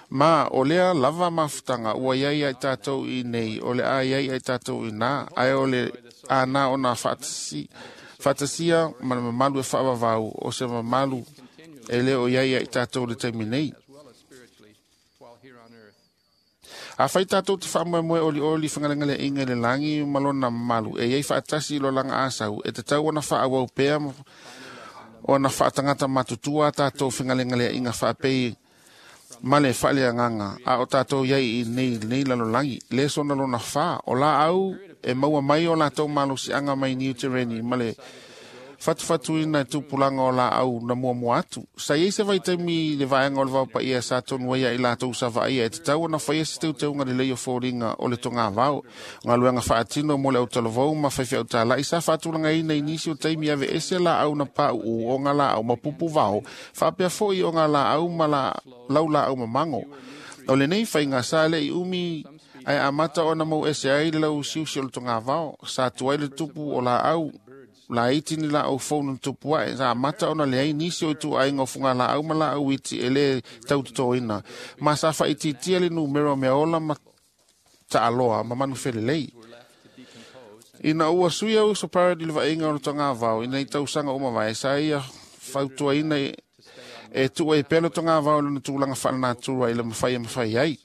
Ma o lea lava mafutaga ua iai ai tatou i nei, o le a iai ai tatou i nā, ae o le ana ona faatasia ma le mamalu e faavavau o se mamalu e le o iai ai tatou le taimi nei. A fai tatou te faamoemoe olioli fegalegaleaiga i le lagi ma lona mamalu, e iai faatasi i lo laga asau, e tatau ona faaauau pea ona faatagata matutua a tatou fegalegaleaiga faapei ma le faaleagaga a o tatou iai i nei lalolagi. Le sona lona 4, o laau e maua mai o latou malosiaga mai Niu Tereni ma le fatufatuina e tupulaga o laau na muamua atu. Sa iai se vaitaimi le vaega o le vaopaia sa tonu ai i latou sa vaaia e tatau ona faia se teuteuga lelei o foliga o le togavao. Galuega faatino mo le autalavou ma faifeau sa faatulagaina i nisi o taimi ave ese laau na pauu o ngā laau ma pupu vao, faapea foi o ngā laau ma laulaau mamago. O lenei faiga sa le i umi ae amata ona mau ese ai le lauusiusi o le togavao, sa tuai le tupu o laau laiti ni laau fou na tupu ae, sa amata ona leai nisi o ituaiga o fugalaau ma laau iti e le tautotoina, ma sa faaitiitia le numera o mea ola ma taaloa ma manufelelei. Ina ua suia uso paradi le vaaiga o le togavao ina i tausaga uma vae, sa ia fautuaina e tuu ai pea le togavao i lona tulaga faalenatura i le mafai e mafai ai.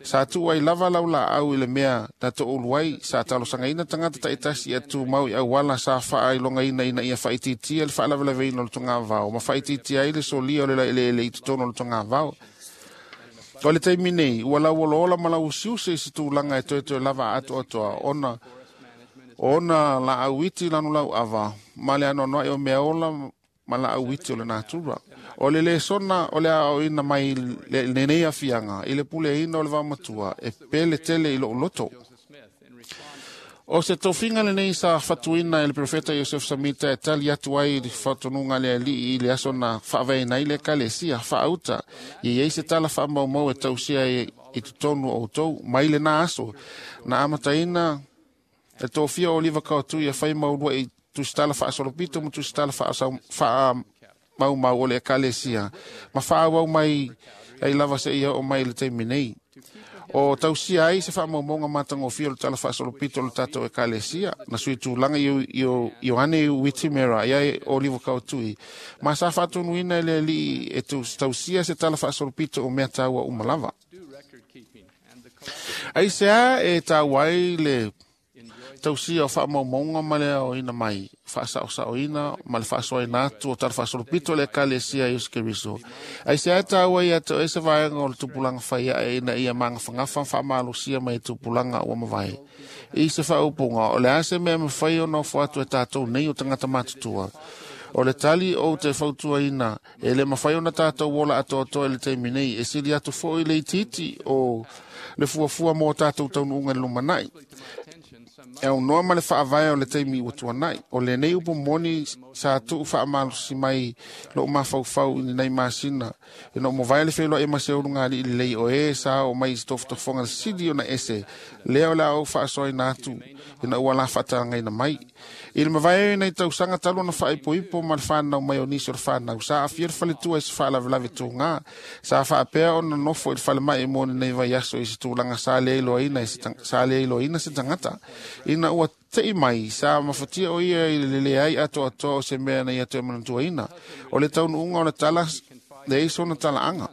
Sa tuu ai lava laulaau i le mea na to'ulu ai, sa talosagaina tagata ta'itasi ia tumau i auala sa faailogaina ina ia faaitiitia le faalavelaveina o le togavao ma faaitiitia ai le solia o le laeleele i totonu o le togavao. O le taimi nei, ua lauolola ma lauusiusi i se tulaga e toetoe lava atoatoa ona, ona laau iti lanu lauava ma le anoanoai o mea ola ma laau iti o le natura. O le lesona o le aoaoina mai lenei afiaga i le puleaina o le vaomatua e pele tele i lou loto. O se tofiga lenei sa fatuina e le profeta Iosef Samita e tali atu ai i le faatonuga a le alii i le aso na faavaeina ai le ekalesia faauta ia i ai se tala faamaumau e tausia ai i totonu o outou. Mai lena aso na amataina e tofia o Oliva Kauatui e fai maulua i tusitala faasolopito ma tusitala faamaumau o le ekalesia ma faaauau mai ai lava seia oo mai i le taimi nei. O tausia ai se faamaumauga matagofie o le tala faasolopito o le tatou ekalesia na sui tulaga Ioane Witimera ia Oliva Kauatui ma sa faatonuina e le alii e tausia se tala faasolopito o mea taua uma lava. Aisea e taua ai le tausia o faamaumauga ma le aoina mai faasaosaoina ma le faasoaina atu o tala faasolopito o le ekalesia Iesu Keriso. Aisea e taua ia te oe se vaega o le tupulaga fai ae ina ia magafagafa ma faamalosia mai tupulaga ua mavae. I se faaupuga, o le a se mea mafai ona ofo atu e tatou nei o tagata matutua. O le tali ou te fautuaina e le mafai ona tatou ola atoatoa i le taimi nei, e sili atu foi le itiiti o le fuafua mo tatou taunuuga i le lumanai. E aunoa ma le faavae o le taimi ua tuanai. O lenei upu moni sa tuu faamalosi mai lou mafaufau i lenei masina. Ina ua mavae le feiloai ma se ulugalii lelei o e sa oo mai i se tofotofoga sili ona ese, lea o le a ou faasoaina atu ina ua la faatalagaina mai. I le mavae ai nei tausaga talu ona faaipoipo ma le fanau mai o nisi o le fanau, sa aafia le faletua i se faalavelave tūgā. Sa faapea ona nofo i le falemai mo lenei vaiaso i se tulaga sa le iloaina se tagata. Ina ua tei mai, sa mafatia o ia i le leai atoatoa o se mea na ia toe manatuaina. O le taunuuga o le tala, leai sona talaaga.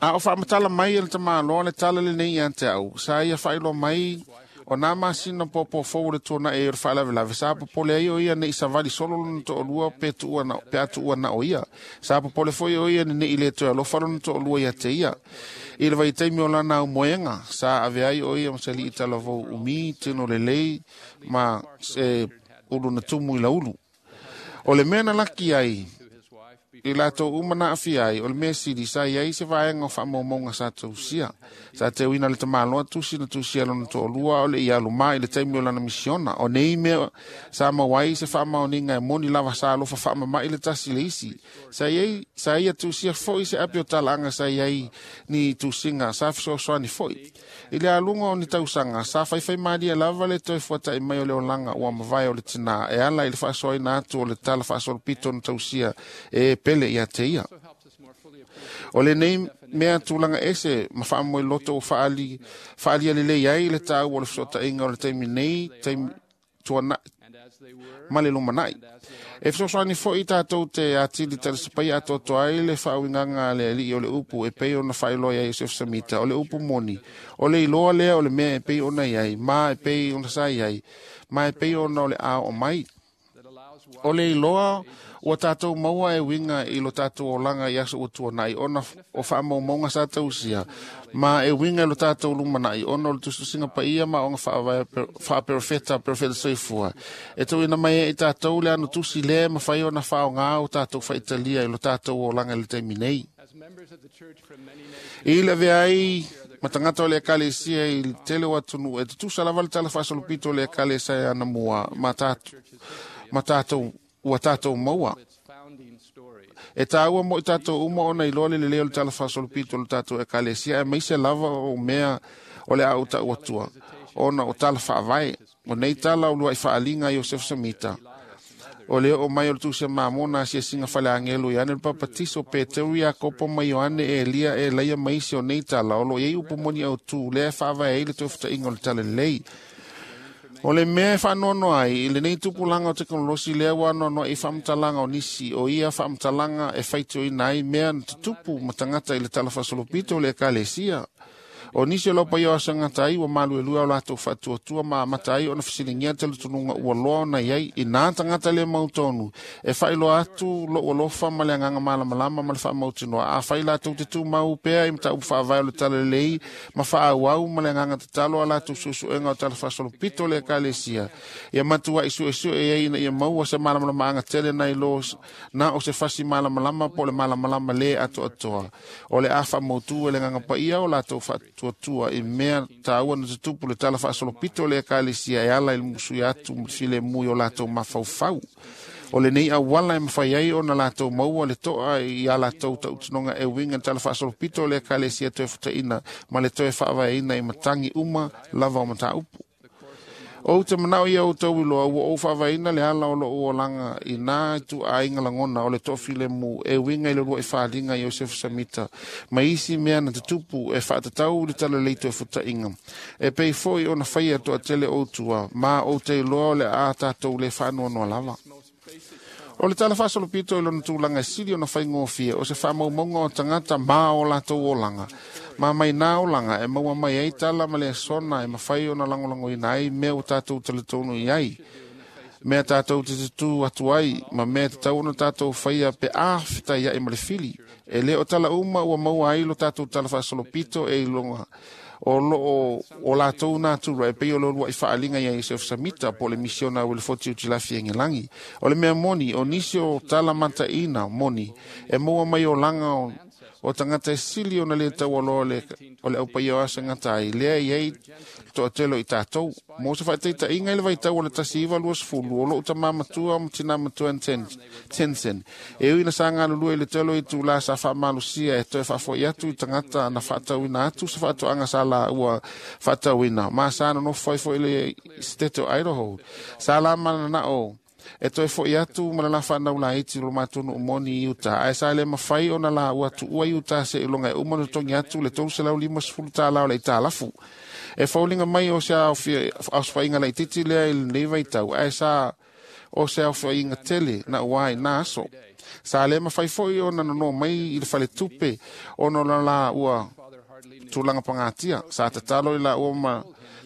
A o faamatala mai e le tamaloa le tala lenei ia te au, sa ia faailoa mai o nā masina pōpō fou o le tuanai o le faalavelave, sa popole ai o ia nei savali solo lona toalua pe tuua na o ia. Sa popole foi o ia nei le toe alofa lona toalua ia te ia. I le vaitaimi o lana aumoega, sa ave ai o ia ma se alii talavou umi, tino lelei, ma se ulu na tumu i laulu. O le mea na laki ai, i latou uma na aafia ai, o le mea sili sa iai se vaega o faamaumauga sa tausia. Sa teuina le tamaloa tusi na tusia lona toalua o le ia alumā i le taimi o lana misiona. O nei mea sa maua ai se faamaoniga e moni lava sa alofa faamama'i le tasi le isi. Sa ia tusia foi se api o talaaga sa iai ni tusiga sa fesoasoani foi. I le aluga o ni tausaga, sa faifai malie lava le toe fuata'i mai o le olaga ua mavae o le tinā e ala i le faasoaina atu o le tala faasolopito na tausia e pele ia te ia. O lenei mea tulaga ese ma faamoeloto ua faalia lelei ai le taua o le fesootaiga o le taimi nei, taimi tuanai ma le lumanai. E fesoasoani foi tatou te atili talisapaia atoatoa ai le faauigaga a le alii o le upu e pei ona faailoa ia Iosef Samita. O le upu moni, o le iloa lea o le mea e pei ona iai, ma e pei ona sa iai, ma e pei ona o le a oo mai. O le iloa ua tatou maua e uiga i lo tatou olaga i aso ua tuanai ona o faamaumauga sa tausia, ma e uiga i lo tatou lumanai ona o le tusitusiga paia ma oga faaperofeta perofeta soifua. E tuuina mai ai i tatou le ano tusi lea e mafai ona faaaoga o tatou faitalia i lo tatou olaga i le taimi nei. I le avea ai ma tagata o le ekalesia i le tele o atunuu e tutusa lava le tala faasolopito o le ekalesia anamua ma tatou ua tatou maua. E taua mo i tatou uma ona iloa le lelei o le tala faasolopito o le tatou ekalesia aemaise lava o mea o le a ou taua atua ona o tala faavae. O nei tala o lua'i faaliga a Iosef Samita. O le oo mai o le tusi a Mamona asiasiga faleagelo Ioane le Papatiso, Peteru, Iakopo ma Ioane, Elia, Elaia ma isi o nei tala o lo o iai upu moni autū lea e faavae ai le toe futaiga o le tala lelei. O le mea e faanoanoa ai i lenei tupulaga o tekonolosi lea ua anoanoai i faamatalaga o nisi o ia faamatalaga e faitioina ai mea na tutupu ma tagata i le tala faasolopito o le ekalesia. O nisi o lau paia o asanga ai ua malu e lua o latou faatuatua ma amata ai ona fesiligia talitonuga ua loa ona i ai i nā tagata le mautonu e faailoa atu lou alofa ma le agaga malamalama ma le faamautinoa. Afai latou te tumau pea i mataupu faavae o le talalelei ma faaauau ma le agaga tatalo a latou suesuega o tala faasolopito o le ekalesia, ia matuai suesue ai ina ia maua se malamalamaaga tele nai lo na o se fasi malamalama po o le malamalama le atoatoa. O le a faamautu e le agaga paia o latou faatuatua i mea taua na tutupu le tala faasolopito o le ekalesia e ala i le musuia atu ma le filemu i o latou mafaufau. O lenei auala e mafai ai ona latou maua le toa i a latou tautinoga e uiga i le tala faasolopito o le ekalesia toe futaina ma le toe faavaeina i matagi uma lava o mataupu. Ou te manao ia outou iloa ua ou faavaeina le ala o lou olaga i nā ituaiga lagona o le toafilemu e uiga i le lua'i faliga i Iosefa Samita ma isi mea na tutupu e faatatau i le talalelei toe futaiga. E pei foi ona faia toatele ou tua, ma ou te iloa o le a tatou le faanoanoa lava. O le tala faasolopito i lona tulaga e sili ona faigofie o se faamaumauga o tagata ma o latou olaga. Ma mai nā olaga e maua mai ai tala ma le asona e mafai ona lagolagoina ai mea ua tatou talitonu i ai, mea tatou te tutū atu ai, ma mea tatau ona tatou faia pe a fetaiai ma le fili. E le o tala uma ua maua ai lo tatou tala faasolopito e iloga o loo o latou natura e pei o le lua'i faaliga ia Iosef Samita po o le misiona a Uelefoti Utilafi e Gelagi. O le mea moni, o nisi o tala mataina moni e maua mai olaga o tagata e sili ona le taualoa o le aupaia o asagata ai, lea i ai toatele o i tatou. Mo se faataitaiga i le vaitau o le 1920, o lou tamā matua ma tinā matua Tensen, e ui na sa galulue i le tele o itulā sa faamalosia e toe faafo'i atu i tagata na faatauina atu se faatoaga sa laua faatauina, ma sa nonofo ai foi i le State o Idaho. Sa la mananao e toe fo'i atu ma le la whanau laiti lo matou moni i Utah. Ae sa le mafai ona laua tuua i Utah se iloga e uma ona totogi atu le $350 o le aitalafu. E fauliga mai o se aosofaiga laitiiti lea i lenei vaitau, ae sa o se aofaiga tele na ua ai nā aso. Sa le mafai foi ona nono mai i le faletupe ona o la ua tulaga pagatia. Sa tatalo i laua ma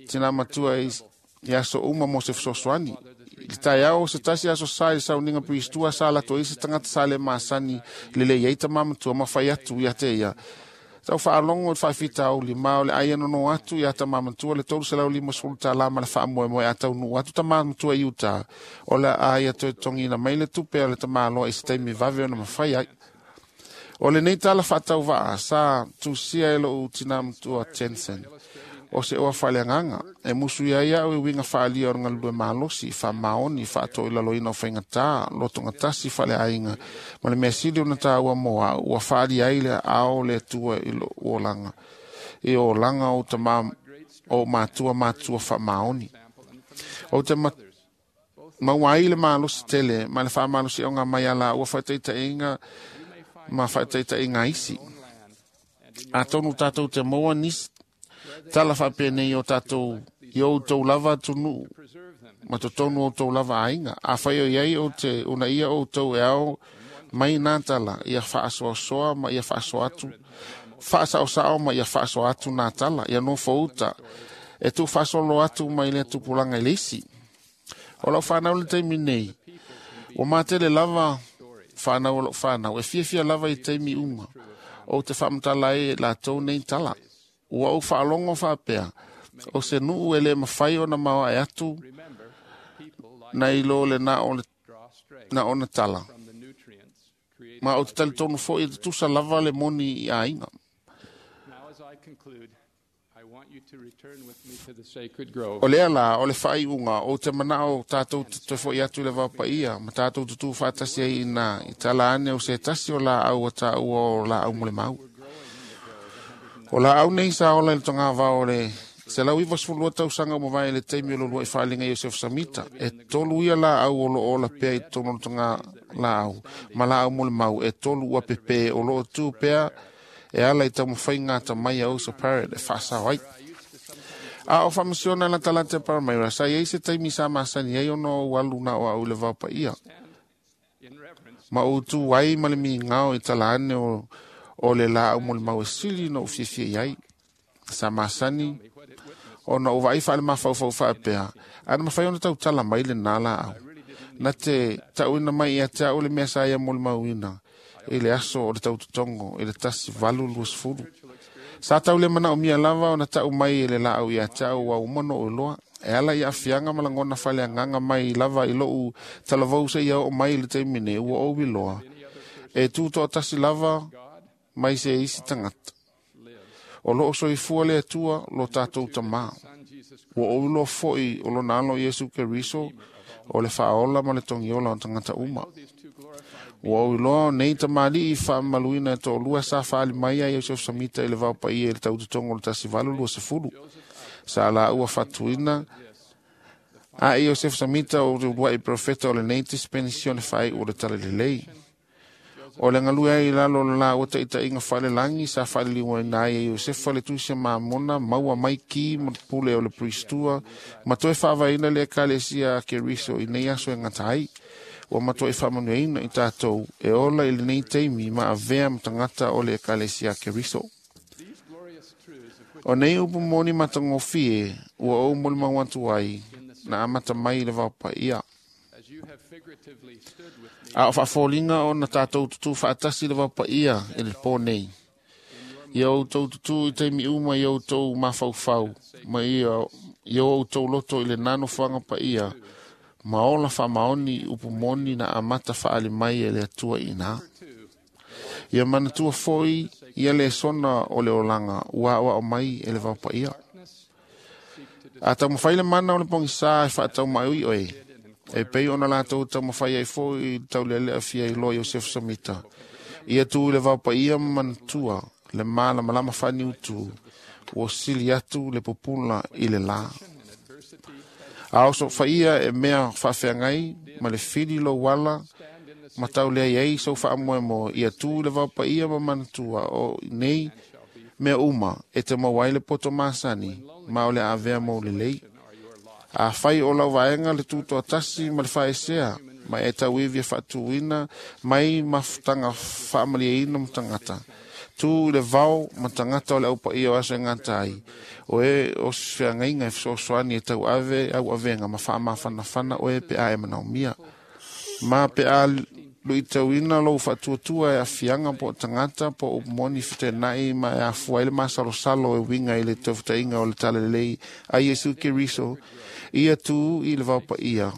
tina matua i aso uma mo se fesoasoani. I le taeao o se tasi aso sa i le sauniga piristua sa lato ai se tagata sa le masani lelei ai tamā matua ma fai atu ia te ia. Tau faalogo i le faafitauli ma o le ai nono atu ia tamā matua le $350 ma le faamoemoe a taunuu atu tamā matua i Utah. O le a ia toe togina mai le tupe a le tamāloa i se taimi vave ona mafai ai. O lenei tala faatauvaa sa tusia e lou tinā matua Jensen. O se oa faaleagaga e musu ia ai au i uiga faaalia o le galulue malosi, faamaoni, faatoilaloina o faigatā, lotogatasi faaleaiga, ma le mea sili ona taua mo au, ua faalia ai le ao le Atua i lou olaga, i olaga o tamā o matua matua faamaoni. Ou te maua ai le malosi tele ma le faamalosiaoga mai a laua faataitaiga ma faataitaiga isi. Atonu tatou te maua nisi tala faapenei o tatou i outou lava atunuu ma totonu outou lava aiga. Afai o i ai ou te unaia outou e ao mai nā tala, ia faasoasoa ma ia faasoa atu, faasaosao ma ia faasoa atu nā tala, ia nofo uta, e tuufaasolo atu mai lea tupulaga i le isi. O lau whanau le taimi nei, ua matele lava whanau o lau whanau, e fiafia lava i taimi uma, o te whaamatala ai e latou nei tala. Ua ou faalogo faapea, o se nuu e le mafai ona maoae atu nai lo le na o le na ona tala. Ma o te talitonu foi e tutusa lava le moni i aiga. Now, as I conclude, I want you to return with me to the sacred grove. O lea la, o le faaiuga, o te manao tātou te toe foi atu i le vaopaia, ma tātou tutū faatasi ai i nā, i tala ane o se tasi o laau a tāua o laau mo le mau. O laau nei sa ola i le togavao o le 192 tausaga ua mavae i le taimi o lo lua'i faaliga i Iosef Samita. E tolu ia laau o loo ola pea i totonu o le toga laau, ma laau mo le mau, e tolu ua pepe o loo tū pea e ala i taumafaiga atamai a Osa Parrot e faasao ai. A o faamasiona la talate a Paramaira, sa iai se taimi sa masani ai ona ou alu na o au i le vaopaia. Ma ou tū ai ma le migao i tala ane o le laau mo le mau e sili na ou fiafia i ai. Sa masani ona o vaai faale-mafaufau faapea, ana mafai ona tautala mai lenā laau. Na te tauina mai ia te au le mea sa ia molimauina i le aso o le tautotogo i le 1820. Sa tau le manaomia lava ona tau mai e le laau ia te au ua uma ona ou iloa. E ala i aafiaga ma lagona faaleagaga mai lava i lou talavou seia oo mai i le taimi nei ua ou iloa. E tutoatasi lava mai se isi tagata. O loo soifua le Atua lo tatou tamā. Ua ou iloa foi o lona alo Iesu Keriso o le faaola ma le togiola o tagata uma. Ua ou iloa o nei tamalii faamamaluina e toalua sa faali mai ai Iosefa Samita i le vaopaia i le tautotogo o le 1820. Sa laua faatuina a Iosefa Samita o le uluai profeta o lenei dispenisione faaiu o le talalelei. O le galue ai i lalo o le laua taitaiga faalelagi sa faaliliuina ai e Iosefa le tusi a Mamona maua mai ki ma le pule o le Pristua ma toe faavaeina le ekalesia a Keriso i nei aso e gata ai. Ua matuai faamanuiaina i tatou e ola i lenei taimi ma avea ma tagata o le ekalesia a Keriso. O nei upu moni matagofie ua ou molimau atu ai na amata mai i le vaopaia. A o faafoliga ona tatou tutū faatasi le vaopaia i le pō nei. Ia outou tutū i taimi uma i outou mafaufau ma ia outou loto i le nano fuaga paia ma ola faamaoni upu moni na amata faali mai e le Atua i ina. Ia manatua foi ia le sona o le olaga ua aoao mai e le vaopaia. A taumafai le mana o le pogisā e faataumai oe, e pei ona latou taumafai ai foi i le taulealea fia iloa Iosefa Samita. Ia tu i le vaopaia ma manatua le malamalama faaniutu ua sili atu le pupula i le lā. A osofaia e mea faafeagai ma le fili lou ala ma taulea ai sou faamoemoe, ia tu i le vaopaia ma manatua o nei mea uma e te maua ai le poto masani ma o le avea mo lelei. A fai o lau vaega le tutoatasi ma le faesea ma e tauivi e faatuina mai mafutaga faamalieina ma tagata. Tu i le vao ma tagata o le aupaia o aso e gata ai. O e o se feagaiga e fesoasoani e tauave au avega ma faamafanafana oe pe a e manaomia. Ma pe a luitauina lou faatuatua e afiaga po o tagata po o moni fetenai ma e afua ai le masalosalo e uiga i le taufetaiga o le talalelei a Iesu Keriso, ia tu i le vaopaia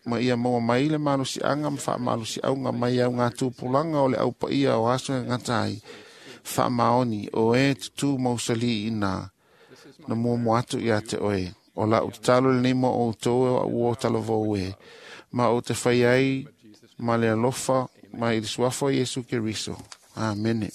ma ia maua mai le malosiaga ma faamalosiauga mai au ngā tupulaga o le aupaia o aso e gata ai. Faamaoni o e tutū mausali ina na muamua atu ia te oe. O lau tatalo lenei mo outou e au o talavou e ma o te fai ai ma le alofa ma i le suafa o Iesu Keriso. Amene.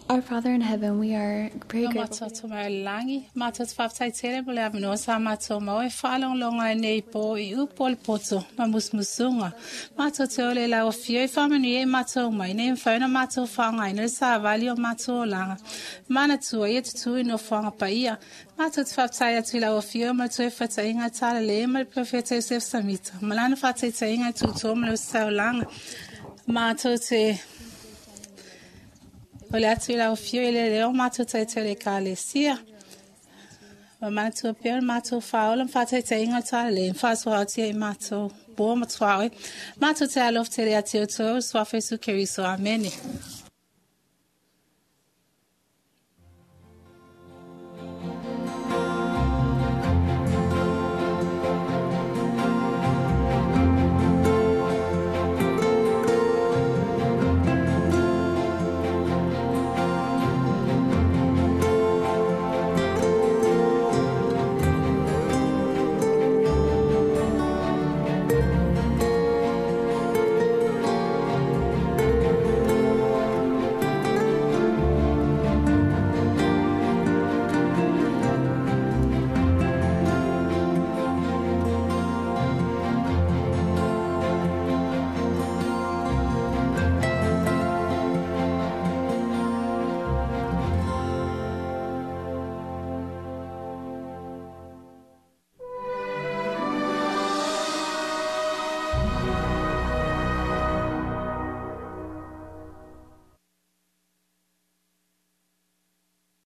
Our Father in heaven, we are very O grateful. matou te mai o le lagi, matou te faafetai tele mo le avanoa sa matou maua e faalogologo ai nei pō i upu o le poto ma musumusuga. Matou te ole i lau afio i faamanuia i matou mai, ina ia mafai ona matou faaaogaina le savali o matou olaga. Manatua ia tutū i nofoaga paia. Matou te faafetai atu i lau afio ma le toe fataiga talalelei ma le Perofeta Iosefo Samita, ma lana faataitaiga e tutua ma le ositaulaga. Matou te o le atu i lau afio i le leo matou taitai o le Ekalesia. Ma manatua pea o le matou faaola ma faataitaiga o le talalelei ma faasoaotia i matou po ma tuaoi. Matou te alofa tele ia te outou, Suafa Iesu Keriso. Amene.